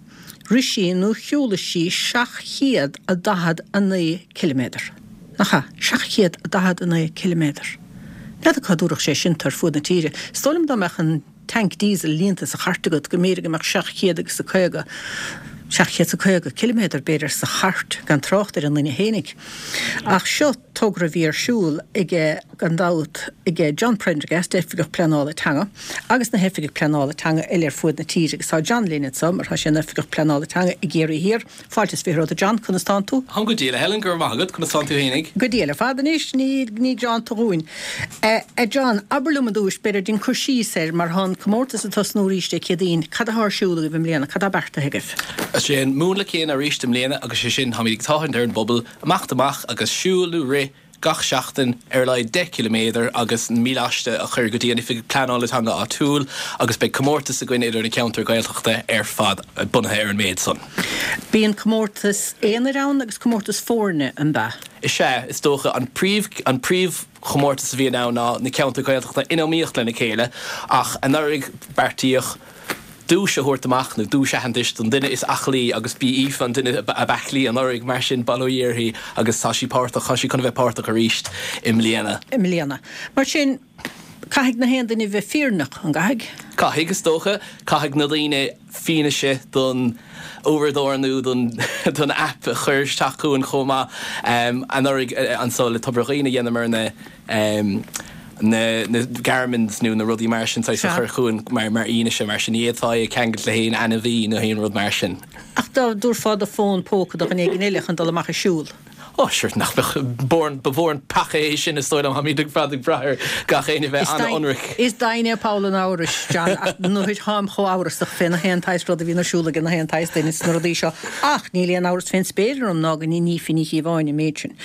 Rith sí nó shiúlaigh sí 749 ciliméadar. Nach ea? 749 ciliméadar. N'fheadar cá dtabharfadh sé sin tú ar fuaid na tíre. Is dóigh liom dá mbeadh an tanc diesel líonta sa chairt agat go mb'fhéidir go mbeadh 700 agus a 50, 750 ciliméadar b'fhéidir sa chairt, gan trácht ar an nduine fhéinig. Ach seo togra a bhí ar siúl aige, gan dabht, aige John Prendergast, Oifigeach Pleanála Teanga, agus na hoifigigh pleanála teanga eile ar fuaid na tíre agus tá John linn anso mar tá sé ina Oifigeach Pleanála Teanga i gCiarraí Thiar. Fáilte is 20 romhat a John, conas tánn tú? Táim go diail a Helen, go raibh maith agat, conas tánn tú fhéinig? Go diail ar fad anois, ní ní greanta dhúinn. A John, abair liom i dtúis, b'fhéidir, déan cur síos air mar tá an comórtas ag tosnú arís Dé Céadaoin, cad atá ar siúl agaibh i mbliana, cad tá beartaithe agaibh? Is é an múnla céanna arís i mbliana agus sé sin, táimid ag tathant ar an bpobal imeacht amach agus siúl nó rith gach seachtain ar a laghad 10 ciliméadar agus an míleáiste a chur go dtí an Oifig Pleanála Teanga áitiúil agus beidh comórtas againn idir na ceantair Ghaeltachta ar fad bunaithe ar an méid san. Bíonn comórtas aonair ann agus comórtas foirne, an ea? Is ea, is dócha. An príomh, an príomhchomórtas a bhíonn ann ná na ceantair Ghaeltachta in iomaíocht lena chéile ach anuraidh beartaíodh duais a thabhairt amach, nó duais aitheantais, don duine is aclaí agus b'í Aoife an duine ab aclaí anuraidh, mar sin bail ó Dhia uirthi agus tá sí páirteach, tá sí chun a bheith páirteach arís i mbliana. i mbliana. Mar sin, caithfidh na haon duine bheith fírinneach, an gcaithfidh? Caithfidh, is dócha. Caithfidh na daoine fianaise don uaireadóir nó don don aip a chur isteach chugainn chomh maith. Anuraidh anso le Tobar Dhuibhne dheineamar na. na na Garmins nó na rudaí mar sin saghas a chur chugainn mar mar fhianaise mar sin ní fhéadfá é a cheangailt le haon ainmhí nó haon rud mar sin. Ach dá dtabharfá do fón póca do dhuine éigin eile chun dul amach ag siúl? Ó sure nach mbeadh ba mhór an peaca é sin is dóigh liom táimid ar fad ag brath ar gach éinne bheith an-ionraic. Is doimhin é poll an amhrais, John, ach nuair tháim chomh amhrasach fé na haon tsaghas rud a bhíonn ar siúl ag na haon tsaghas duine sna rudaí seo ach níl aon amhras fén spéir orm ná go ndein Aoife Ní Chíobháin an méid sin.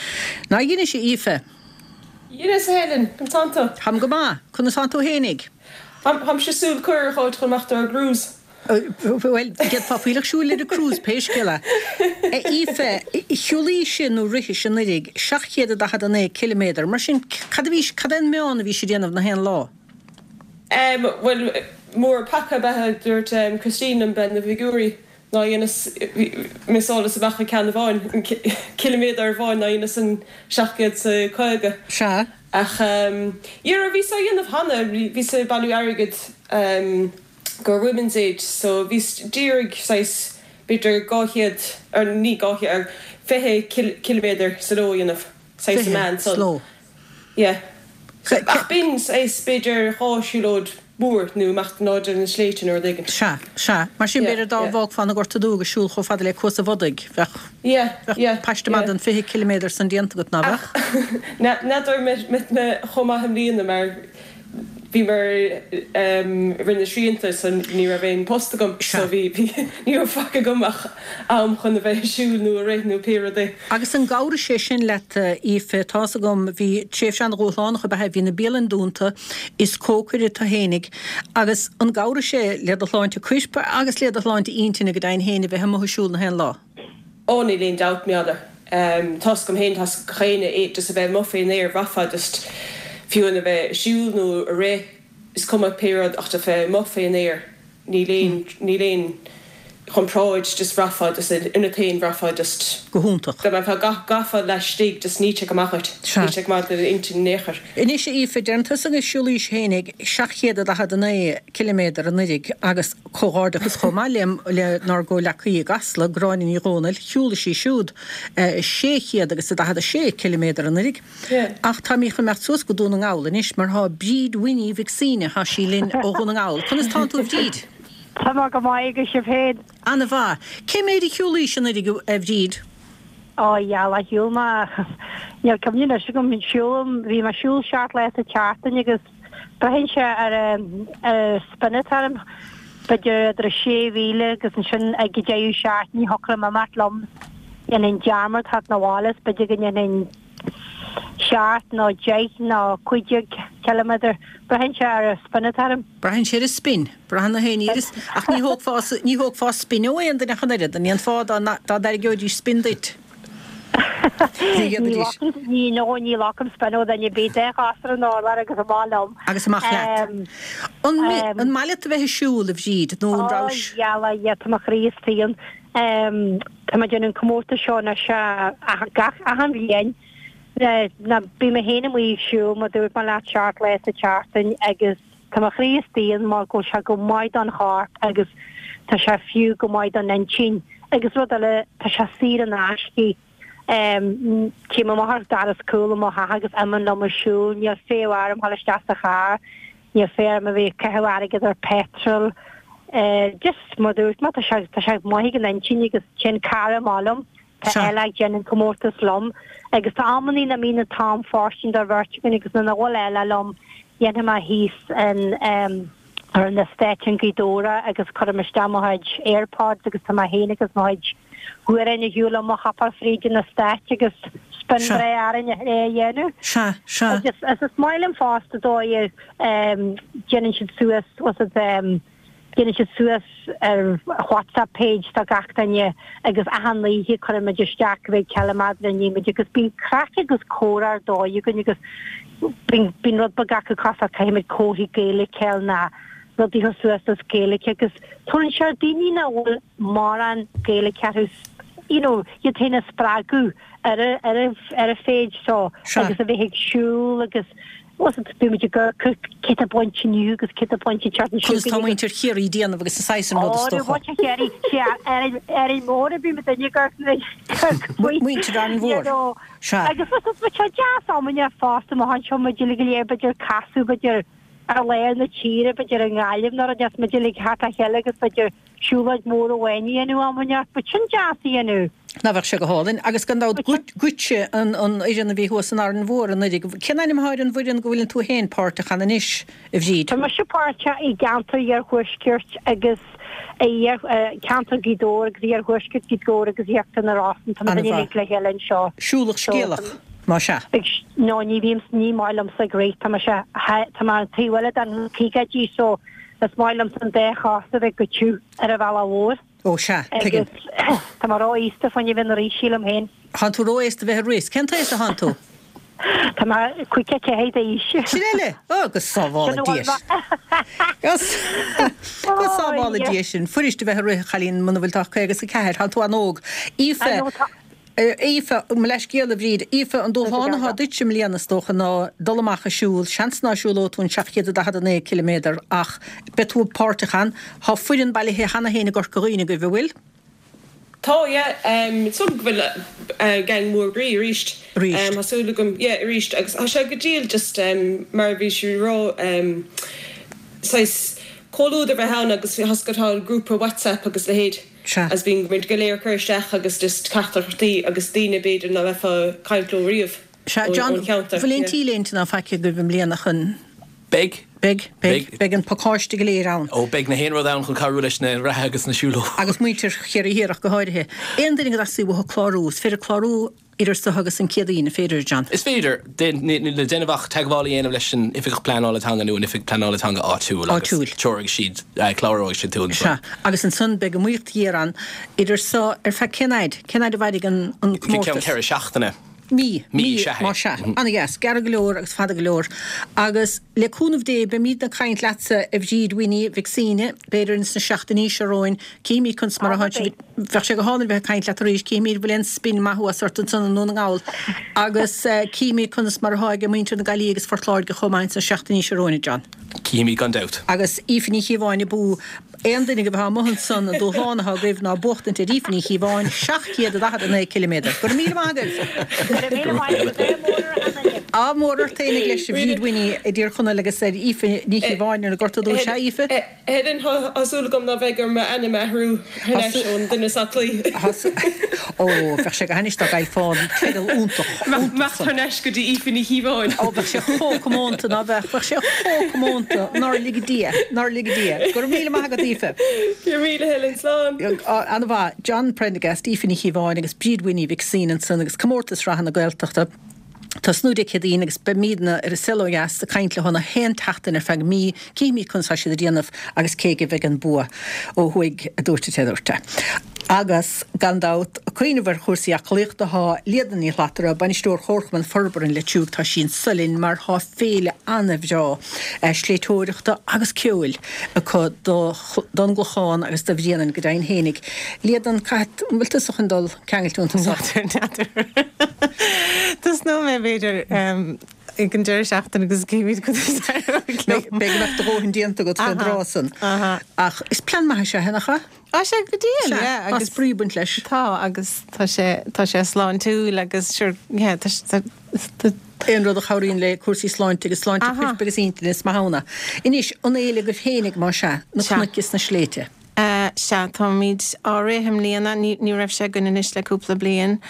Nár dheinis, a Aoife? Dheineas, a Helen. Conas tánn tú? Táim go maith. Conas tánn tú fhéinig? Táimse ag súil cuireadh a fháilt chun imeacht ar an gcruise. Bhuel, d'fhéadfá fuílleach siúil ar an gcruise, pé scéal é. A Aoife, shiúlaís nó rithis anuiridh 749 ciliméadar, mar sin cad a bhí, cad é an meán a bhís ag déanamh na haon lá? Bhuel, mór peaca ab ea, dúirt Christine liom, bean na bhfigiúirí. Ná dheineas mé solas amach ag ceann amháin, ciliméadar amháin, ná dheineas an 750. Sea. Ach dhera, bhíos á dhéanamh cheana, bhíos ag bailiú airgid go Women's Aid so bhíos d'iarraidh saghas b'fhéidir 200, or ní 200, or 20 ciliméadar sa ló a dhéanamh, saghas an meán 20 san. Sa ló. Yeah. Ach b'in saghas b'fhéidir dhá siúlóid mhór nó imeacht in airde ar na sléibhte nó rud éigin. Sea, sea. Mar sin b'fhéidir dá bhfágfá an Gorta Dubh agus siúl chomh fada le Cuas an Bhodaigh, bheadh, Yeah, bheadh yeah, paiste maith yeah. den 20 ciliméadar san déanta agat, ná beadh? Ach n'fheadar an mbeidh mé chomh maith i mbliana mar bhíomar i rith na srianta so ní raibh aon post agam so bhí, bhí, ní raibh faic agam ach am chun a bheith ag siúl nó ag rith nó pé rud é. Agus an gcabhraigh sé sin leat, Aoife? Tá's agam, bhí tréimhse an-dhúshlánach ab ea é, bhí na bialainn dúnta, is cócaire tu fhéinig, agus an gcabhraigh sé le do shláinte coirp agus le do shláinte intinne go deimhin féin a bheith amuigh ag siúl na haon lá? Ó, níl aon dabht, m'fheadar. Tá's agam féin, tá's ag gach éinne é, just a bheith amuigh fén aer, bhraithfeá just, fiú amháin a bheith ag siúl nó ag rith, is cuma pé rud ach just bheith amuigh fén aer, níl aon, níl aon chomparáid, just bhraithfeá just ionat féin, bhraithfeá just. Go hiontach. Dá mbeifeá, gcaithfeá laistigh, just níl sé go maith dhuit, níl sé go maith d'intinn in aon chor. Anois, a Aoife, deireann tusa gur shiúlaís fhéinig 749 ciliméadar anuiridh agus comhghairdeachas chomh maith le lenár gcomhleacaí i gCasla, Gráinne Ní Dhomhnaill, shiúlaigh sí siúd 600 agus a 46 ciliméadar anuiridh. Ach táimid chun imeacht suas go Dún na nGall anois mar thá Bríd Winnie Mhic Suibhne, thá sí linn ó Dhún na nGall. Conas tánn tú a Bhríd? Tá mé go maith agus sibh féin? Ana mhaith. Cé méid a shiúlaís anuiridh a Bhríd? Ó dhealach, shiúil mé, níl cuimhne anois agam, siúlaim, bhí mé ag siúl seacht lá sa tseachtain agus braitheann sé ar an spion atá orm, b'fhéidir idir 6,000 agus ansin ag an deireadh seachtaine thiocfadh liom imeacht liom, dhéanfainn dearmad theacht 'na bhaile is b'fhéidir go ndéanfainn seacht nó deich nó 15 ciliméadar, braitheann sé ar an spion atá orm. Braitheann sé ar an spin. Braitheann na haon iarras, ach ní thógfá, ní thógfá spin ó aon duine ach an oiread. An ndéanfá dá, dá dtairgeoidís spin duit? Ní dhéanfaidís. Ní, no, ní ghlacaim spin ó dhuine ar bith. Dá ghasúr an urlár agus amach liom. Agus amach leat. An, an maith leat a bheith ag siúl, a Bhríd, nó an Ó, rabhais? dhealach, yeah, tá mo chroí istigh ann. Tá mé ag déanamh an comórtas seo anois gach, achan bhliain. Ná, bím mé féin amuigh ag siúl, mar dúirt mé leat, seacht lá sa tseachtain agus, Tá mo chroí istigh ann mar go bhfuil sé go maith don chorp agus tá sé fiú go maith don intinn. Agus rud eile, tá sé saor in aisce. Téim amach ar doras cúl i mo theach agus imím liom ag siúl. Níl féith orm dhul isteach sa charr. Níl féith orm a bheith ag caitheamh airgead ar petrol. Just mar dúirt mé, tá sé tá sé maith ag an intinn agus téann cara maith liom. Tá Ella ag déanamh an comórtas liom agus tá amannaí nach mbíonn an t-am fóirstean don bheirt againn agus nuair nach bhfuil Ella liom dhéanfaidh mé thíos in ar an estate in Gaoth Dobhair agus cuirim isteach mo chuid airpods agus tá mé féin agus mo chuid amhráin ar shiúl liom ag hopáil fríd an estate agus spin breá orainn é a dhéanamh. Sea, sea. Agus is maith liom fosta dóigh a déanann siad suas was it Déanann siad suas ar WhatsApp page do gach duine agus achan oíche cuirimid isteach cé mhéad ciliméadar a ndeachaigh muid agus bíonn craic agus comhrá ar dóigh againn agus bíonn bíonn rud beag acu cosúil caithfimid comharthaí Gaeilge a fháil ná rudaí a chur suas as Gaeilge agus tabharann sé ar daoine nach bhfuil mórán Gaeilge orthu you know iad féin a spreagadh ar a ar a ar a page so agus a bheith ag siúl agus Bíonn muid ag amharc cé tá bainte inniu agus cé tá bainte an tseachtain seo Conas tá muintir Chiarraí ag déanamh agus an saghas sin rud is dócha. Ó, muintir Chiarraí, sea, Árainn Mhór a bhí muid ag amharc faoi. Muintir Árainn Mhór, sea. Agus tá sé deas amanna fosta amach anseo muid uilig go léir b'fhéidir casadh b'fhéidir ar lár na tíre b'fhéidir i nGaillimh nó rud as muid uilig thart le chéile agus b'fhéidir siúlóid mhór amháin a dhéanamh amanna, but sin deas a dhéanamh. Ná bheadh sé go hálainn. Agus gan dabht duitse an fhoireann a bhí thuas in Árainn Mhór anuraidh. Cén ainm atá ar an bhfoireann go bhfuileann tú féin páirteach ann anois, a Bhríd? Tá mise páirteach i gceantar Iarthuaiscirt agus i ceantar Ghaoth Dobhair agus Iarthuaisceart Ghaoth Dobhair agus Íochtar na Rosann. Tá muid uilig le chéile anseo. Siúlach scéalach, más ea? No, ní bhím, ní maith liomsa ag rith. Tá mise, tá mé an taobh eile den caogaidí so Is maith liomsa an dá chos a bheith go tiubh ar an bhealach mhór. Ó sea, tuigim. Agus tá mé ró-aosta fá choinne bheith ag rith, sílim féin. Thánn tú ró-aosta bheith ag rith. Cén t-aos a thánn tú? Tá mé 54 d'aois. Sin eile! Ó, go sábhála Dia. Go sábhála. sábhála Dia sinn. Fuirist a bheith ag rith, a chailín, muna bhfuil tú ach 54. Tá tú an-óg. Aoife, Aoife, mo leithscéal, a Bhríd. Aoife, an dúshlán atá duit i mbliana, is dócha, ná dul amach ag siúl. Seans ná siúlóidh tú an 749 ciliméadar ach beidh tú páirteach ann. Tá foireann bailithe cheana féin i gCorca Dhuibhne agaibh, an bhfuil? Tá, yeah. Is dóigh liom go bhfuil gang mór groí arís. Arís. Tá súil agam, yeah, arís. Agus tá sé go diail just mar a bhí sí ag rá, saghas comhluadar a bheith ann agus tá tá grúpa WhatsApp agus leithéid. Sea. Agus bíonn muid go léir ag cur isteach agus just teachtaireachtaí agus daoine b'fhéidir ná beifeá ag caint leo riamh Sea, John, ón cheantar. bhfuil aon T-léinte ná faic agaibh i mbliana chun. Beidh. Beidh, beidh, beidh an pacáiste go léir ann. Ó, beidh na haon rud ann chun cabhrú leis na reathaithe agus na siúlóirí. Agus muintir Chiarraí Thiar ach go háirithe. Aon duine go dteastaíonn uathu clárú, is féidir clárú idir seo agus an Chéadaoin, an féidir, a John? Is féidir. Níl le déanamh ach teagmháil a dhéanamh leis an Oifigeach Pleanála Teanga nó an Oifig Pleanála Teanga áitiúil agus Áitiúil. treoróidh siad, cláróidh siad tú ansan. Sea. Agus ansan beidh iomaíocht ghéar ann idir seo ar feadh cén fhaid? Cén fhaid a mhairfidh an Ceann comórtas? 4 seachtaine. Mí. Mí, sea. Más ea. Ana-dheas. Gearr go leor agus fada go leor. Agus le cúnamh Dé, beimídne ag caint leatsa, a Bhríd Winnie Mhic Suibhne, b'fhéidir ins na seachtainí seo romhainn. Cífimid conas mar atá sibh. Bheadh sé go hálainn bheith ag caint leat arís. Cífimid an bhfuil aon spin maith thuas ort ansan i nDún na nGall. Agus cífimid conas mar atá ag muintir na Gaillimhe agus Phort Láirge chomh maith ins na seachtainí seo romhainn, a John. Cífimid gan dabht. Agus Aoife Ní Chíobháin abú. Aon duine agaibh atá amuigh ansan, an dúshlán atá agaibh ná buachtaint ar Aoife Ní Chíobháin, 749 ciliméadar. Go raibh míle maith agaibh! Go raibh míle maith agat. Ádh mór ar achan duine. Ádh mór ort fhéinig leis, a Bhríd Winnie i dTír Chonaill agus ar Aoife Ní Chíobháin ar an nGort Dubh. Sea, Aoife? Helen, Tá súil agam ná beidh orm m'ainm a athrú thar n-ais ón duine is aclaí. Ó, bheadh sé go hainnis dá gcaillfeá an teideal iontach, iontach Imeacht thar n-ais go dtí Aoife Ní Chíobháin. Ó, bheadh sé chomh comónta, ná beadh? Bheadh sé chomh comónta, nár lige Dia, nár lige Dia. Go raibh míle maith agat, Aoife. Go raibh míle, Helen. Slán. An-mhaith. John Prendergast, Aoife Ní Chíobháin agus Bríd Winnie Mhic Suibhne ansan agus Comórtas Reatha na Gaeltachta. Tosnú Dé Céadaoin agus beimídne ar An Saol Ó Dheas ag caint leo na haon tseachtain ar feadh mí, cífimid conas tá siad ag déanamh agus cé aige a bheidh an bua ó thuaidh, a dúirt an té a dúirt é. Agus, gan dabht, ag cuimhneamh ar chúrsaí aclaíochta tá Líodhna Ní Shlatara, Bainisteoir Chomharchumann Forbartha an Leitriúigh, tá sí anso linn mar tá féile ana-bhreá sléibhteoireachta agus ceoil acu don gClochán agus do Bhréanainn go deimhin fhéinig. Líodhna, caithfidh, an bhfuil tusa chun dul ceangailte iontu so? N'fheadar, n'fheadar. Tosnóidh mé b'fhéidir ag an deireadh seachtaine agus cífimid conas a éireoidh liom. Beidh go mbeadh do dhóthain déanta agat fén dtráth san. Ach is plean maith é seo, nach ea? Tá sé go diail, yeah. Tá spraoi ag baint leis. Tá, agus tá sé, tá sé sláintiúil agus sure, yeah, tá sé, tá. Aon rud a chabhraíonn le cúrsaí sláinte agus sláinte coirp agus intinne, is maith ann é. Anois, an fhéile agaibh féinig, más ea, na cnoic is na sléibhte. Sea, táimid á rith i mbliana, ní raibh sé againn anois le cúpla bliain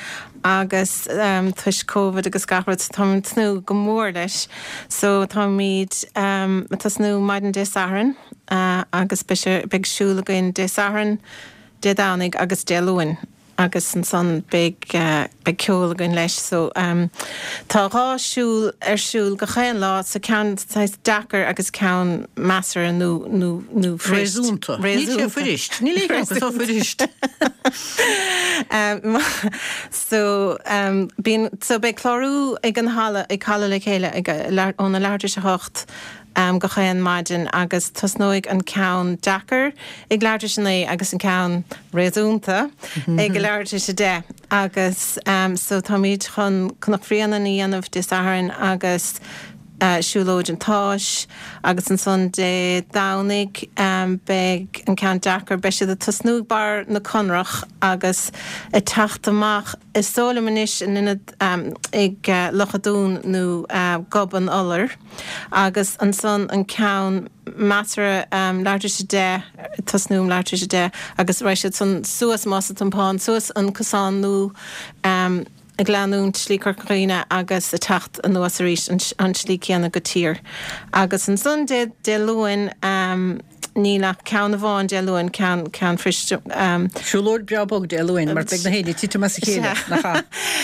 agus toisc Covid agus gach rud, so táimid ag tnúth go mór leis. So táimid ag tosnú maidin Dé Sathairn agus beidh sé, beidh siúl againn Dé Sathairn, Dé Domhnaigh agus Dé Luain. agus ansan beidh beidh ceol againn leis so tá 2 siúl ar siúl gach aon lá so ceann saghas deacair agus ceann measartha nó nó nó fuirist. Réasúnta. Níl sé fuirist. Níl aon cheann acu so fuirist. So bíonn so beidh clárú ag an halla ag Halla Le Chéile ag óna leathuair tar éis a hocht gach aon maidin agus tosnóidh an ceann deacair ag leathuair tar éis a naoi agus an ceann réasúnta ag a leathuair tar éis a deich agus so táimid chun Cnoc Bhréanainn a dhéanamh Dé Sathairn agus Siúlóid an tSáis agus ansan Dé Domhnaigh beidh an ceann deacair, beidh siad ag tosnú ag barr na Conrach agus ag teacht amach is dóigh liom anois in ionad ag Loch a' Dúin nó Gob an Iolair. Agus ansan an ceann measartha, leathuair tar éis a deich, tosnú um leathuair tar éis a deich agus raghaidh siad san suas Más an Tiompáin, suas an cosán nua ag leanúint Slí Chorca Dhuibhne agus ag teacht anuas arís an tslí céanna go tír. Agus ansan Dé Luain, Níl ach ceann amháin Dé Luain, ceann, ceann fuirist. Siúlóid breá bog Dé Luain mar beidh na héinne ag titim as a chéile, nach ea?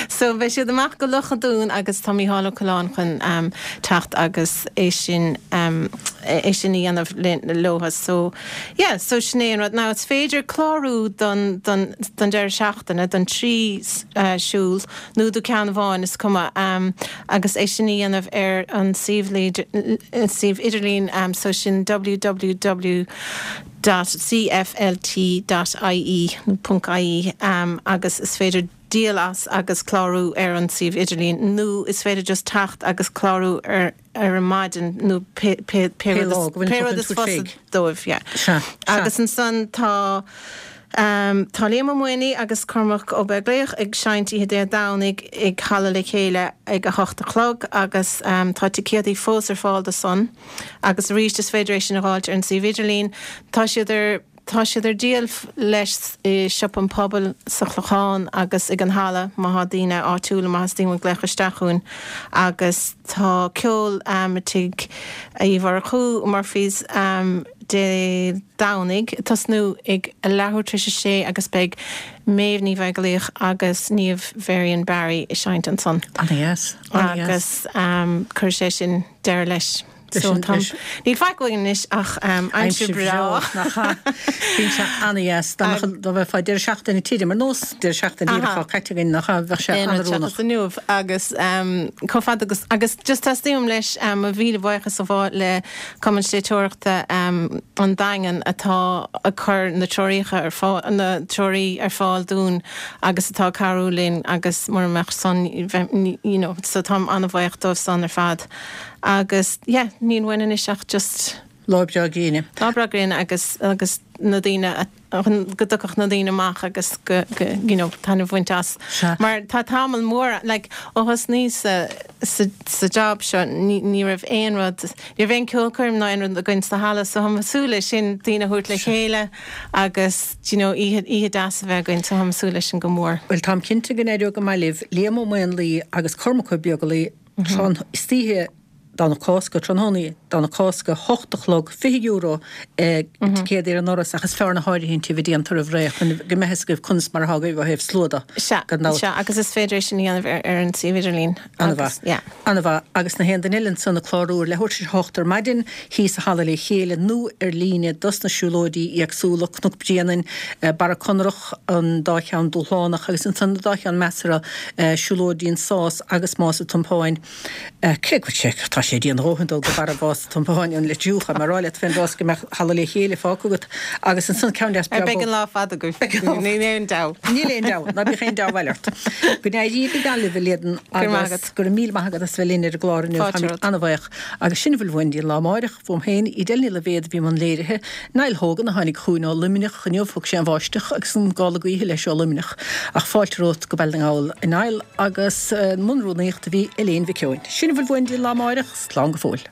So beidh siad amach go Loch an Dúin agus tá Mícheál Ó Coileáin chun teacht agus é sin, é sin a dhéanamh leo. So yeah, so sin é an rud. Now is féidir clárú don, don, don deireadh seachtaine, don trí siúl nó do ceann amháin, is cuma, agus é sin a dhéanamh ar an suíomh suíomh idirlín so sin www. dot cflt dot ie nó ponc ie agus is féidir díol as agus clárú ar an suíomh idirlín nó is féidir just teacht agus clárú ar ar an maidin nó pé pé pé rud is pé rud is fusa dóibh yeah. Sea, sea. Agus ansan tá tá Liam Ó Maonlaí agus Cormac Ó Beaglaoich ag seinnt oíche Dé Domhnaigh ag Halla Le Chéile ag a hocht a chlog agus tá ticéadaí fós ar fáil do san. Agus arís is féidir é sin a dh'fháilt ar an suíomh idirlín. Tá siad ar tá siad ar díol leis i Siopa an Phobail sa Chlochán agus ag an Halla má thá daoine áitiúla má theastaíonn uait glaoch isteach chugainn. Agus tá ceol i Tigh Uí Mhurchú, Murphy's, Dé Domhnaigh ag tosnú ag a leathuair tar éis a sé agus beidh Méabh Ní Bheaglaoich agus Niamh Varian Barry ag seinnt ansan. Ana-dheas. Agus cuirfidh sé sin deireadh leis. So tá, níl faic uainn anois ach aimsir bhreá. Nach ea? Bíonn sé an-dheas. Dá mbeadh, dá mbeifeá deireadh seachtaine tirim, ar nós deireadh seachtaine díreach atá caite againn, nach ea? Bheadh sé an-oiriúnach. Seachas inniu agus chomh fada agus, agus just teastaíonn uaim leis mo mhíle buíochas a ghabháil le Cumann Sléibhteoireachta an Daingin atá ag cur na treoraíocha ar fáil, na treoraí ar fáil dúinn agus atá ag cabhrú linn agus mura mbeadh san, bheith, you know, so táim an-bhuíoch dóibh san ar fad. Agus yeah, níl uainn anois ach just. Lá breá gréine. Lá breá gréine agus, agus na daoine a, go dtiocfadh na daoine amach agus go, go, you know, taitneamh a bhaint as. Sea. Mar tá tamall mór, like, ó thosnaíos sa, sa, sa job seo, ní, ní raibh aon rud, ní raibh aon ceolchoirm ná aon rud againn sa halla so táim ag súil leis sin, daoine a thabhairt le chéile agus, do you know, oíche, oíche deas a bheith againn so táim ag súil leis sin go mór. Bhuel, táim cinnte go n-éireoidh go maith libh, Liam Ó Maonlaí agus Cormac Ó Beaglaoich, Tráth istoíche Domhnach Cásca, tráthnóna Domhnach Cásca, 8 a chlog, €20 ticéadaí ar an ndoras ach is fearr na háirithintí a bheith déanta roimh ré chun go mbeidh fhios agaibh conas mar atá agaibh ó thaobh slua de, Sea, gan dabht. sea, agus is féidir é sin a dhéanamh ar an suíomh idirlín An-mhaith. yeah. An-mhaith. Agus na haon duine eile ansan ag clárú ar leathuair tar éis a hocht ar maidin, thíos i Halla Le Chéile nó ar líne dos na siúlóidí éagsúla, Cnoc Bréanainn, Barra Conrach, an dá cheann dúshlánach agus ansan an dá cheann measartha, Siúlóidí an Sás agus Más an Tiompáin. Cé go bhfuil sé, tá sé dian a dhóthain dul go barra Mhás an Tiompáin an le triúcha, mar rá leat fén rás go mbeadh Halla Le Chéile fágtha agat agus ansan ceann deas breá Beidh an lá fada agaibh. Níl aon dabht. Níl aon dabht, ná bíodh aon deabhal ort. Go n-éirí go geal libh a Líadan agus go raibh míle maith agat as bheith linn ar an gclár inniu. Fáilte romhat. Ana-bhaoch. Agus sin a bhfuil uainn dtí an lá amáireach. Uaim féin, Edel Ní Loibhéad a bhí i mbun léirithe. Niall Hogan a tháinig chugainn ó Luimneach inniu, thug sé an bháisteach agus an gála gaoithe leis ó Luimneach. Ach fáilte romhat go Baile na nGall, a Niall, agus i mbun rúnaíochta a bhí Elaine Mhic Eoin. Sin a bhfuil uainn dtí an lá amáireach, slán go fóill.